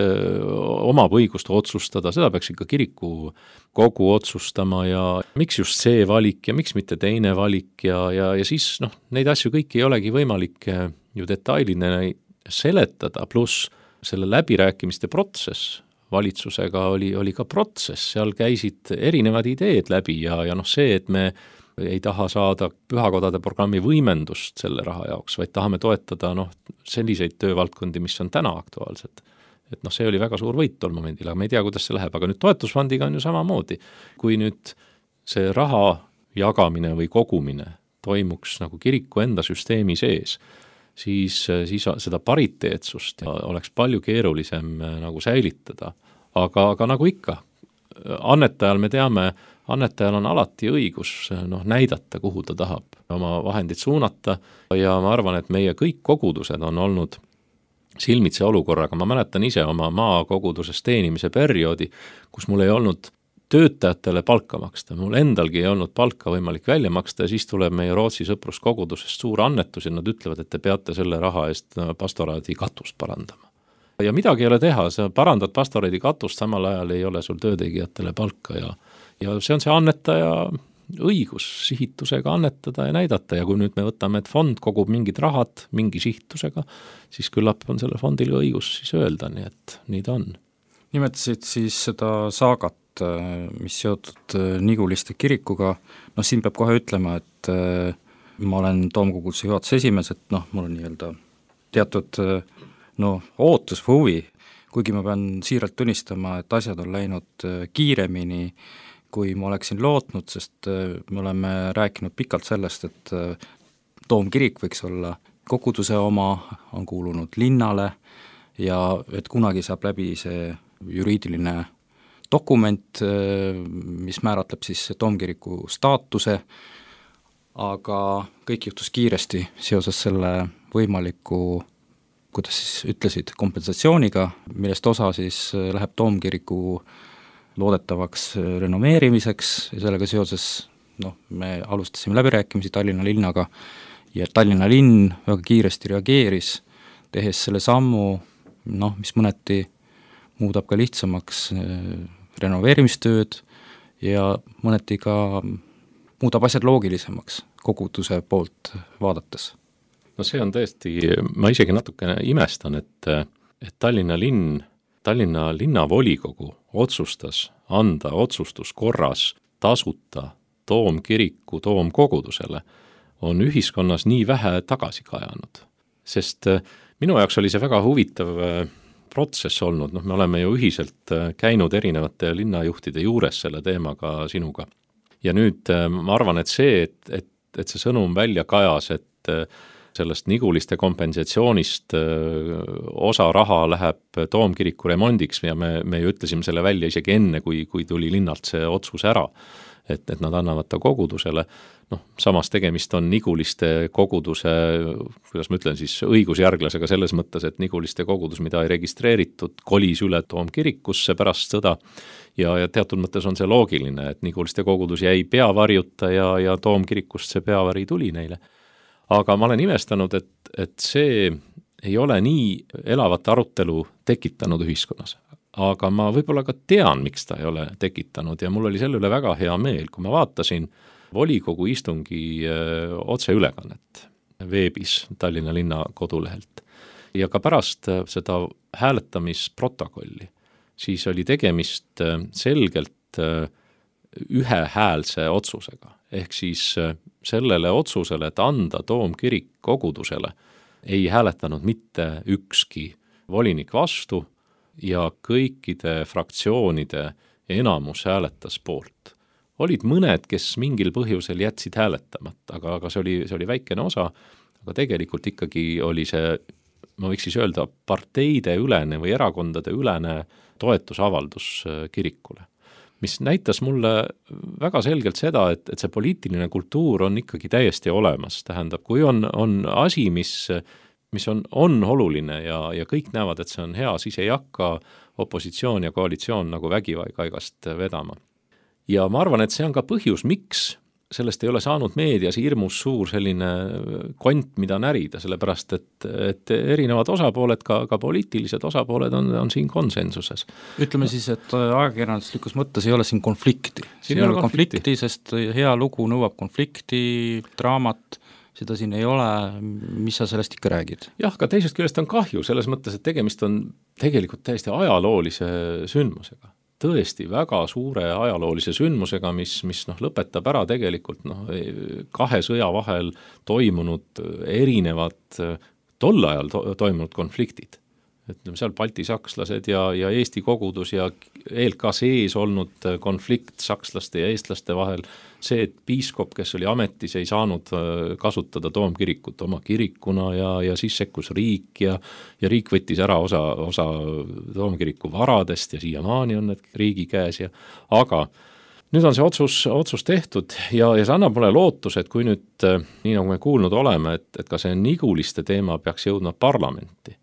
omab õigust otsustada, seda peaks ikka kiriku kogu otsustama ja miks just see valik ja miks mitte teine valik ja, ja, ja siis noh, neid asju kõiki ei olegi võimalik ju detailine seletada, pluss selle läbirääkimiste protsess valitsusega oli, oli ka protsess, seal käisid erinevad ideed läbi ja, ja noh see, et me ei taha saada pühakodade programmi võimendust selle raha jaoks, vaid tahame toetada noh, selliseid töövaldkondi, mis on täna aktuaalsed. Et noh, see oli väga suur võit tol momendil, aga me ei tea, kuidas see läheb, aga nüüd toetusfondiga on ju samamoodi. Kui nüüd see raha jagamine või kogumine toimuks nagu kiriku enda süsteemi sees, siis, siis seda pariteetsust oleks palju keerulisem nagu säilitada. Aga, aga nagu ikka, annetajal me teame, annetajal on alati õigus noh, näidata, kuhu ta tahab oma vahendid suunata ja ma arvan, et meie kõik kogudused on olnud silmitse olukorraga. Ma mäletan ise oma maakoguduses teenimise perioodi, kus mul ei olnud töötajatele palka maksta, mul endalgi ei olnud palka võimalik välja maksta ja siis tuleb meie Rootsi sõpruskogudusest suur annetus ja nad ütlevad, et te peate selle raha eest pastoraadi katust parandama. Ja midagi ei ole teha, sa parandad pastoraadi katust, samal ajal ei ole sul töötegijatele palka ja, ja see on see annetaja õigus sihitusega annetada ja näidata ja kui nüüd me võtame, et fond kogub mingid rahad mingi sihitusega, siis küllap on selle fondil õigus siis öelda, nii et nii ta on. Nimetasid siis seda saagat, mis seotud Niguliste kirikuga, noh siin peab kohe ütlema, et ma olen Toomkoguduse juhatuse esimees, et noh, mul on nii-öelda teatud no, ootus või huvi, kuigi ma pean siiralt tunnistama, et asjad on läinud kiiremini, kui ma oleksin lootnud, sest me oleme rääkinud pikalt sellest, et Toomkirik võiks olla koguduse oma, on kuulunud linnale ja et kunagi saab läbi see juriidiline dokument, mis määratleb siis Toomkiriku staatuse, aga kõik juhtus kiiresti seoses selle võimaliku, kuidas siis ütlesid, kompensatsiooniga, millest osa siis läheb Toomkiriku loodetavaks renoveerimiseks ja sellega seoses noh, me alustasime läbirääkimisi Tallinna linnaga ja Tallinna linn väga kiiresti reageeris, tehes selle sammu, noh, mis mõneti muudab ka lihtsamaks renoveerimistööd ja mõneti ka muudab asjad loogilisemaks koguduse poolt vaadates. No see on tõesti, ma isegi natukene imestan, et, et Tallinna linn Tallinna linnavolikogu otsustas anda otsustuskorras tasuta Toomkiriku Toomkogudusele, on ühiskonnas nii vähe tagasi kajanud. Sest minu jaoks oli see väga huvitav protsess olnud, noh me oleme ju ühiselt käinud erinevate linnajuhtide juures selle teemaga sinuga. Ja nüüd ma arvan, et see, et, et, et see sõnum välja kajas, et sellest Niguliste kompensatsioonist osa raha läheb Toomkiriku remondiks ja me, me ju ütlesime selle välja isegi enne, kui, kui tuli linnalt see otsus ära, et, et nad annavad ta kogudusele. Noh, samas tegemist on Niguliste koguduse, kuidas ma ütlen siis, õigusjärglasega selles mõttes, et Niguliste kogudus, mida ei registreeritud, kolis üle Toomkirikusse pärast sõda ja, ja teatud mõttes on see loogiline, et Niguliste kogudus jäi peavarjuta ja, ja Toomkirikust see peavari tuli neile. Aga ma olen imestanud, et, et see ei ole nii elavat arutelu tekitanud ühiskonnas. Aga ma võib-olla ka tean, miks ta ei ole tekitanud ja mul oli selle üle väga hea meel, kui ma vaatasin volikogu istungi öö, otseülekannet veebis Tallinna linna kodulehelt. Ja ka pärast seda hääletamisprotokolli, siis oli tegemist selgelt ühehäälse otsusega. Ehk siis sellele otsusele, et anda Toomkirik kogudusele, ei hääletanud mitte ükski volinik vastu ja kõikide fraktsioonide enamus hääletas poolt. Olid mõned, kes mingil põhjusel jätsid hääletamata, aga, aga see oli, see oli väikene osa, aga tegelikult ikkagi oli see, ma võiks siis öelda, parteide ülene või erakondade ülene toetusavaldus kirikule, mis näitas mulle väga selgelt seda, et, et see poliitiline kultuur on ikkagi täiesti olemas. Tähendab, kui on, on asi, mis, mis on, on oluline ja, ja kõik näevad, et see on hea, siis ei hakka opositsioon ja koalitsioon nagu vägikaigast vedama. Ja ma arvan, et see on ka põhjus, miks sellest ei ole saanud meedias hirmus suur selline kont, mida närida, sellepärast, et, et erinevad osapooled, ka, ka poliitilised osapooled on, on siin konsensuses. Ütleme siis, et ajakirjanduslikus mõttes ei ole siin konflikti. Siin ei ole konflikti, konflikti, sest hea lugu nõuab konflikti, draamat, seda siin ei ole, mis sa sellest ikka räägid? Jah, ka teisest küljest on kahju, selles mõttes, et tegemist on tegelikult täiesti ajaloolise sündmusega. Tõesti väga suure ajaloolise sündmusega, mis, mis noh, lõpetab ära tegelikult noh, kahe sõja vahel toimunud erinevad tol ajal to- toimunud konfliktid. Ütleme, seal Balti sakslased ja, ja Eesti kogudus ja eel ka sees olnud konflikt sakslaste ja eestlaste vahel, see, et piiskop, kes oli ametis, ei saanud kasutada Toomkirikut oma kirikuna ja, ja siis sekkus riik ja, ja riik võttis ära osa, osa Toomkiriku varadest ja siiamaani on need riigi käes. Ja, aga nüüd on see otsus, otsus tehtud ja, ja see annab mulle lootus, et kui nüüd, nii nagu me kuulnud oleme, et, et ka see Niguliste teema peaks jõudma parlamenti,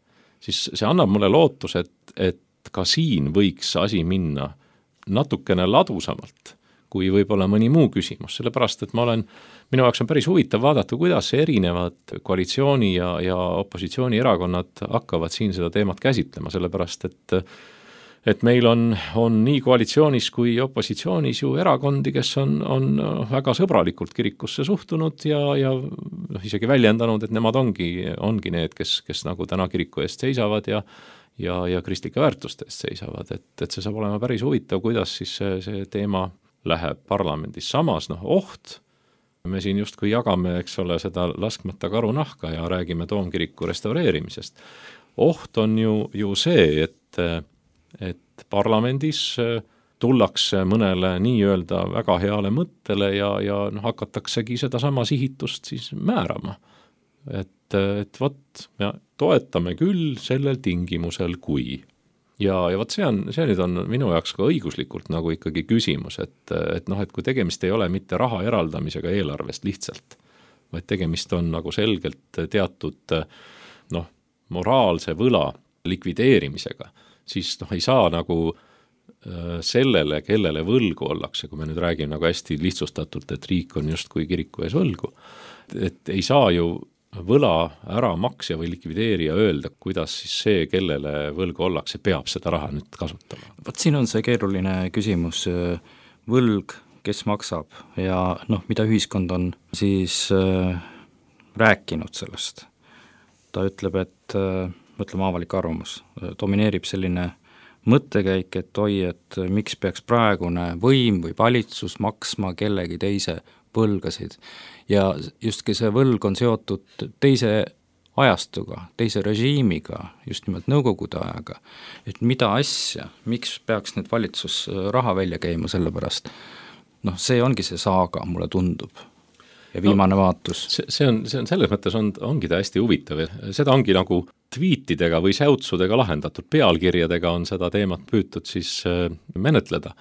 siis see annab mulle lootus, et, et ka siin võiks asi minna natukene ladusamalt kui võib-olla mõni muu küsimus, sellepärast et ma olen, minu jaoks on päris huvitav vaadata, kuidas erinevad koalitsiooni ja, ja opositsiooni erakonnad hakkavad siin seda teemat käsitlema, sellepärast et et meil on, on nii koalitsioonis kui opositsioonis ju erakondi, kes on, on väga sõbralikult kirikusse suhtunud ja, ja noh, isegi väljendanud, et nemad ongi, ongi need, kes, kes nagu täna kiriku eest seisavad ja ja, ja kristlike väärtuste eest seisavad, et, et see saab olema päris huvitav, kuidas siis see, see teema läheb parlamendis. Samas, noh, oht, me siin justkui jagame, eks ole, seda laskmata karunahka ja räägime Toomkiriku restaureerimisest. Oht on ju, ju see, et, et parlamendis tullakse mõnele nii-öelda väga heale mõttele ja, ja noh, hakataksegi seda sama sihitust siis määrama. Et, et vot, me toetame küll sellel tingimusel, kui ja, ja vot see on, see nüüd on minu jaoks ka õiguslikult nagu ikkagi küsimus, et, et noh, et kui tegemist ei ole mitte raha eraldamisega eelarvest lihtsalt, vaid tegemist on nagu selgelt teatud noh, moraalse võla likvideerimisega, siis noh, ei saa nagu sellele, kellele võlgu ollakse, kui me nüüd räägime nagu hästi lihtsustatult, et riik on justkui kiriku ees võlgu, et ei saa ju võla ära maksja või likvideerija öelda, kuidas siis see, kellele võlgu ollakse, peab seda raha nüüd kasutama. Vot siin on see keeruline küsimus, võlg, kes maksab ja noh, mida ühiskond on siis äh, rääkinud sellest. Ta ütleb, et äh, mõtleme avalik arvamus, domineerib selline mõttekäik, et oi, et miks peaks praegune võim või valitsus maksma kellegi teise võlgasid ja justki see võlg on seotud teise ajastuga, teise režiimiga, just nimelt nõukogude ajaga, et mida asja, miks peaks nüüd valitsus raha välja käima selle pärast, noh, see ongi see saaga, mulle tundub, ja viimane no, vaatus. See, see, on, see on selles mõttes, on, ongi ta hästi huvitav, seda ongi nagu tweetidega või säutsudega lahendatud, pealkirjadega on seda teemat püütud siis menetleda.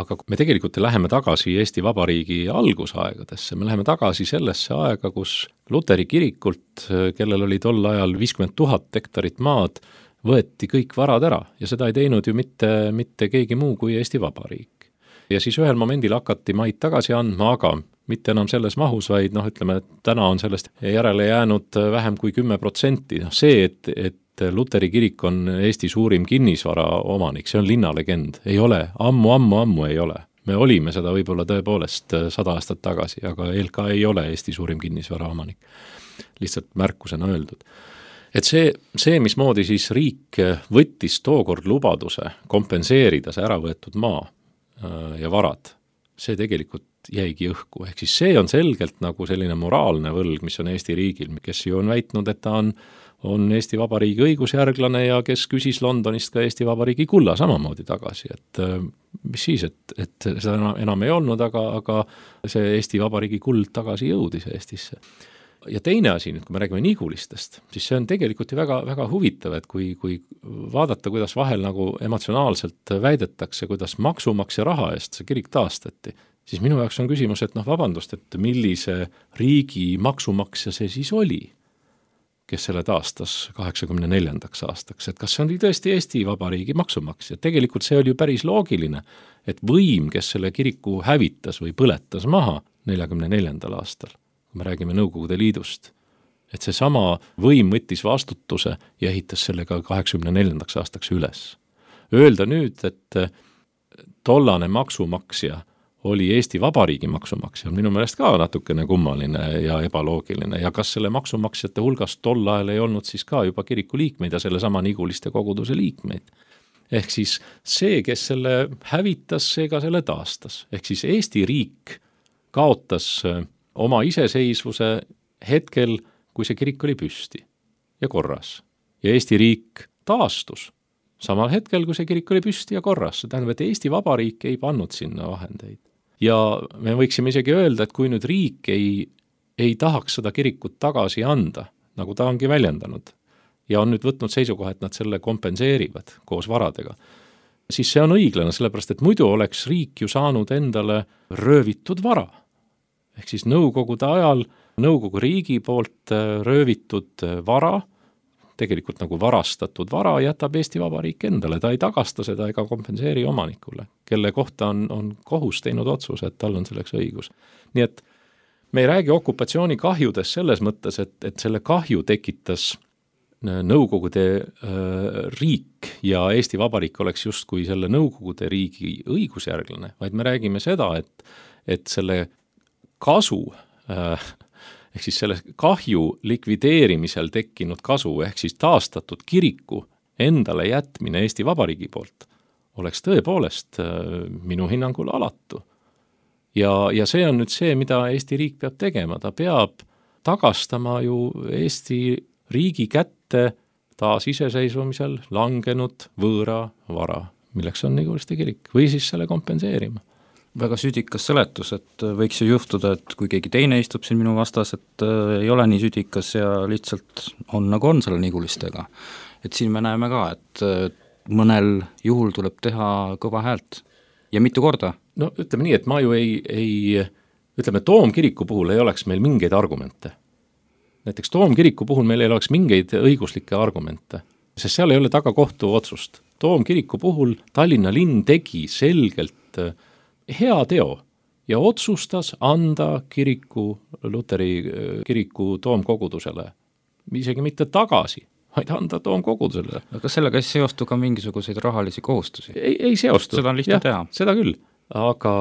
Aga me tegelikult läheme tagasi Eesti Vabariigi algusaegadesse, me läheme tagasi sellesse aega, kus Luteri kirikult, kellel oli tol ajal viiskümmend tuhat hektarit maad, võeti kõik varad ära ja seda ei teinud ju mitte, mitte keegi muu kui Eesti Vabariik. Ja siis ühel momendil hakati maid tagasi andma, aga mitte enam selles mahus, vaid noh, ütleme, et täna on sellest järele jäänud vähem kui kümme protsenti. No see, et, et Luteri kirik on Eesti suurim kinnisvara omanik, see on linnalegend, ei ole, ammu, ammu, ammu ei ole. Me olime seda võib-olla tõepoolest sada aastat tagasi, aga L K ei ole Eesti suurim kinnisvara omanik. Lihtsalt märkusena öeldud. Et see, see, mismoodi siis riik võttis tookord lubaduse kompenseerida see äravõetud maa ja varad, see tegelikult jäigi õhku. Ehk siis see on selgelt nagu selline moraalne võlg, mis on Eesti riigil, kes ju on väitnud, et ta on on Eesti Vabariigi õigusjärglane ja kes küsis Londonist ka Eesti Vabariigi kulla samamoodi tagasi, et mis siis, et, et seda enam ei olnud, aga, aga see Eesti Vabariigi kuld tagasi jõudis Eestisse. Ja teine asi, nüüd kui me räägime Nigulistest, siis see on tegelikult ju väga, väga huvitav, et kui, kui vaadata, kuidas vahel nagu emotsionaalselt väidetakse, kuidas maksumaksja raha eest see kirik taastati, siis minu jaoks on küsimus, et noh, vabandust, et millise riigi maksumaksja see siis oli, kes selle taastas kaheksakümne neljandaks aastaks, et kas see oli tõesti Eesti Vabariigi maksumaksja. Tegelikult see oli ju päris loogiline, et võim, kes selle kiriku hävitas või põletas maha neljakümne neljandal aastal, kui me räägime Nõukogude Liidust, et see sama võim võttis vastutuse ja ehitas sellega kaheksakümne neljandaks aastaks üles. Öelda nüüd, et tollane maksumaksja oli Eesti Vabariigi maksumaksja, on minu meelest ka natukene kummaline ja ebaloogiline ja kas selle maksumaksjate hulgast tol ajal ei olnud siis ka juba kiriku liikmeid ja selle sama Niguliste koguduse liikmeid. Ehk siis see, kes selle hävitas, see ka selle taastas. Ehk siis Eesti riik kaotas oma iseseisvuse hetkel, kui see kirik oli püsti ja korras. Ja Eesti riik taastus samal hetkel, kui see kirik oli püsti ja korras. See tähendab, et Eesti Vabariik ei pannud sinna vahendeid. Ja me võiksime isegi öelda, et kui nüüd riik ei, ei tahaks seda kirikut tagasi anda, nagu ta ongi väljendanud, ja on nüüd võtnud seisukoha, et nad selle kompenseerivad koos varadega, siis see on õiglane, sellepärast et muidu oleks riik ju saanud endale röövitud vara. Ehk siis nõukogude ajal nõukogu riigi poolt röövitud vara, tegelikult nagu varastatud vara jätab Eesti Vabariik endale, ta ei tagasta seda ega kompenseeri omanikule, kelle kohta on, on kohus teinud otsuse, et tal on selleks õigus. Nii et me ei räägi okupatsiooni kahjudest selles mõttes, et, et selle kahju tekitas Nõukogude äh, riik ja Eesti Vabariik oleks justkui selle Nõukogude riigi õigusjärglane, vaid me räägime seda, et, et selle kasu äh, ehk siis selle kahju likvideerimisel tekkinud kasu ehk siis taastatud kiriku endale jätmine Eesti Vabariigi poolt oleks tõepoolest äh, minu hinnangul alatu. Ja, ja see on nüüd see, mida Eesti riik peab tegema, ta peab tagastama ju Eesti riigi kätte taas iseseisvumisel langenud võõra vara, milleks on Niguliste kirik, või siis selle kompenseerima. Väga südikas seletus, et võiks ju juhtuda, et kui keegi teine istub siin minu vastas, et ei ole nii südikas ja lihtsalt on nagu on selle Nigulistega. Et siin me näeme ka, et mõnel juhul tuleb teha kõva häält ja mitu korda. No ütleme nii, et ma ju ei, ei ütleme, Toomkiriku puhul ei oleks meil mingeid argumente. Näiteks Toomkiriku puhul meil ei oleks mingeid õiguslikke argumente, sest seal ei ole taga kohtu otsust. Toomkiriku puhul Tallinna linn tegi selgelt hea teo ja otsustas anda kiriku, Luteri kiriku toomkogudusele, isegi mitte tagasi, vaid anda toomkogudusele. Aga sellega ei seostu ka mingisuguseid rahalisi kohustusi? Ei, ei seostu. Seda on lihtne ja, teha. Seda küll, aga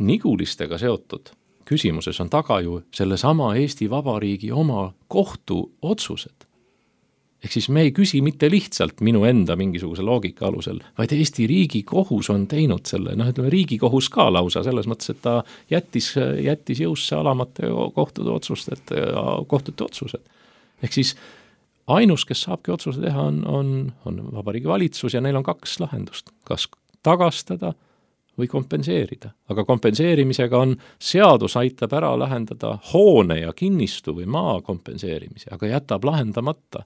Nigulistega seotud küsimuses on taga ju sellesama Eesti Vabariigi oma kohtu otsused. Ehk siis me ei küsi mitte lihtsalt minu enda mingisuguse loogika alusel, vaid Eesti riigi kohus on teinud selle, noh ütleme riigi kohus ka lausa, selles mõttes, et ta jättis, jättis jõusse alamate kohtute otsused, kohtute otsused. Ehk siis ainus, kes saabki otsuse teha, on, on, on Vabariigi Valitsus ja neil on kaks lahendust, kas tagastada või kompenseerida. Aga kompenseerimisega on, seadus aitab ära lahendada hoone ja kinnistu või maa kompenseerimise, aga jätab lahendamata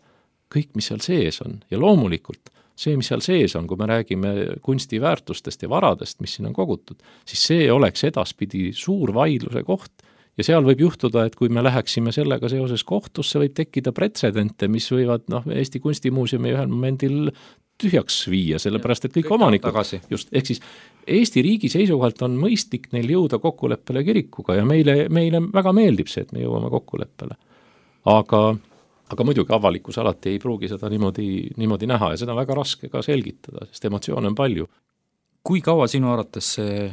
kõik, mis seal sees on. Ja loomulikult see, mis seal sees on, kui me räägime kunstiväärtustest ja varadest, mis siin on kogutud, siis see oleks edaspidi suur vaidluse koht. Ja seal võib juhtuda, et kui me läheksime sellega seoses kohtusse, võib tekkida pretsedente, mis võivad noh, Eesti Kunstimuuseumi ühel momendil tühjaks viia, sellepärast et kõik, kõik omanikud, just, ehk siis Eesti riigi seisukohalt on mõistlik neil jõuda kokkuleppele kirikuga ja meile, meile väga meeldib see, et me jõuame kokkuleppele. Aga, aga muidugi avalikkus alati ei pruugi seda niimoodi, niimoodi näha ja seda on väga raske ka selgitada, sest emotsioone on palju. Kui kaua sinu arvates see,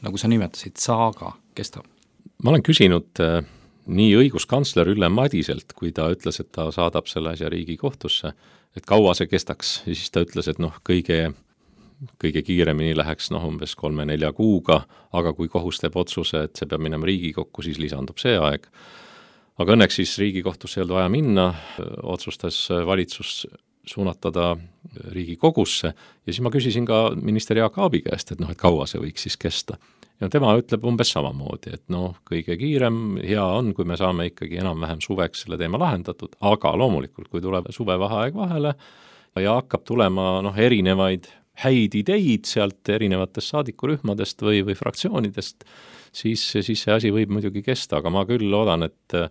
nagu sa nimetasid, saaga kestab? Ma olen küsinud äh, nii õiguskantsler Ülle Madiselt, kui ta ütles, et ta saadab selle asja Riigikohtusse, et kaua see kestaks ja siis ta ütles, et noh, kõige, kõige kiiremini läheks noh, umbes kolme-nelja kuuga, aga kui kohus teeb otsuse, et see peab minema Riigikokku, siis lisandub see aeg. Aga õnneks siis Riigikohtusse ei olnud vaja minna, otsustas valitsus suunatada Riigikogusse ja siis ma küsisin ka minister Jaak Aabi käest, et noh, et kaua see võiks siis kesta. Ja tema ütleb umbes samamoodi, et noh, kõige kiirem, hea on, kui me saame ikkagi enam-vähem suveks selle teema lahendatud, aga loomulikult, kui tuleb suvevaheaeg vahele ja hakkab tulema noh, erinevaid häid ideid sealt erinevatest saadikurühmadest või, või fraktsioonidest, siis, siis see asi võib muidugi kesta, aga ma küll loodan, et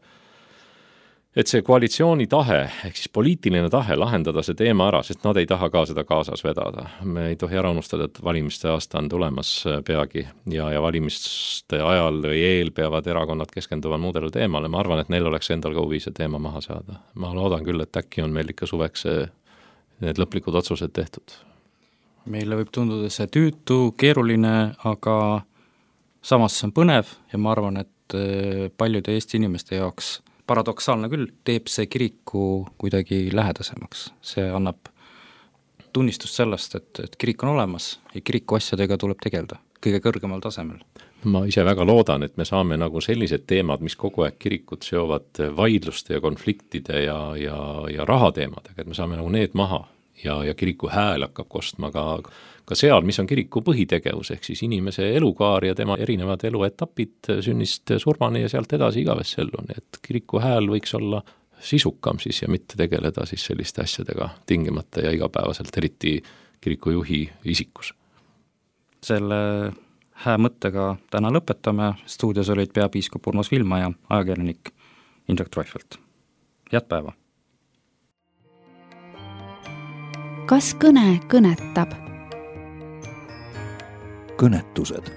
et see koalitsiooni tahe, ehk siis poliitiline tahe lahendada see teema ära, sest nad ei taha ka seda kaasas vedada. Me ei tohi ära unustada, et valimiste aasta on tulemas peagi ja, ja valimiste ajal või eel peavad erakonnad keskenduma muudele teemale. Ma arvan, et neil oleks endal ka huvi see teema maha saada. Ma loodan küll, et äkki on meil ikka suveks need lõplikud otsused tehtud. Meile võib tunduda see tüütu, keeruline, aga samas see on põnev ja ma arvan, et paljude Eesti inimeste jaoks paradoksaalne küll, teeb see kiriku kuidagi lähedasemaks. See annab tunnistust sellest, et, et kirik on olemas ja kiriku asjadega tuleb tegelda kõige kõrgemal tasemel. Ma ise väga loodan, et me saame nagu sellised teemad, mis kogu aeg kirikut seovad vaidluste ja konfliktide ja, ja, ja rahateemadega, et me saame nagu need maha ja, ja kiriku hääl hakkab kostma ka, ka seal, mis on kiriku põhitegevus, ehk siis inimese elukaar ja tema erinevad eluetapid sünnist surmani ja sealt edasi igavesse ellu, nii et kiriku hääl võiks olla sisukam siis ja mitte tegeleda siis selliste asjadega tingimata ja igapäevaselt, eriti kirikujuhi isikus. Selle hää mõttega täna lõpetame, stuudios olid peapiiskop Urmas Viilma ja ajakirjanik Indrek Treufelt. Head päeva! kas kõne kõnetab? Kõnetused.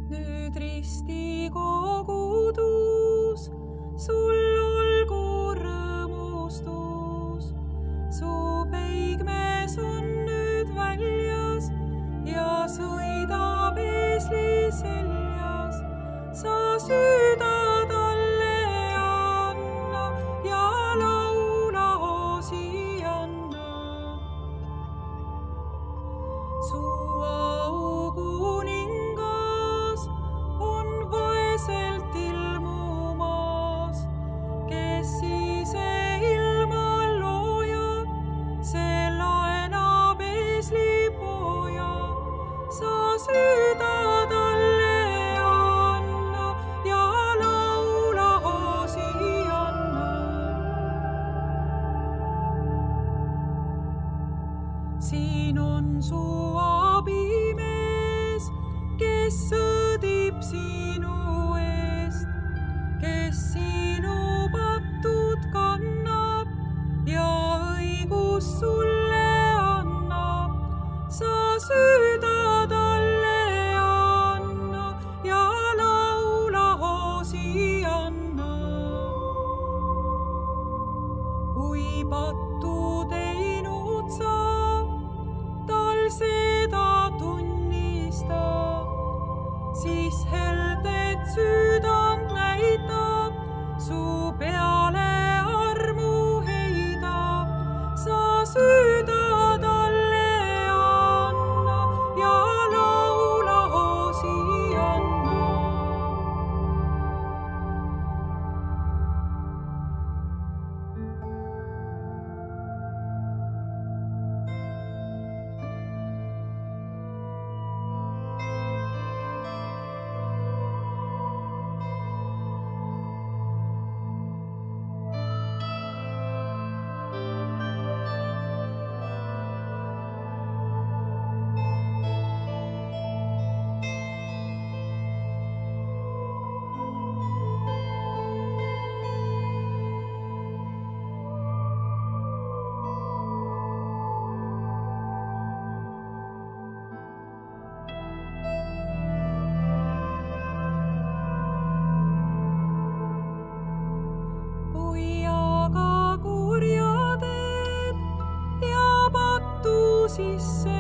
Nüüd risti kogudus, sul olgu rõõmustus. Su peigmees on nüüd väljas ja sõidab eesli seljas. Sa süüda talle anna ja laula hoosi anna. Su siin on su abimees, kes sõdib sinu eest, kes sinu patud kannab ja õigus sulle annab. Sa süüda talle anna ja laula hoosi anna. Kui pattu teinud sa, seda tunnista, siis heldet süüdand näitab, su peale armu heidab. Sa süüda talle anna ja laula hoosi anna. Sisse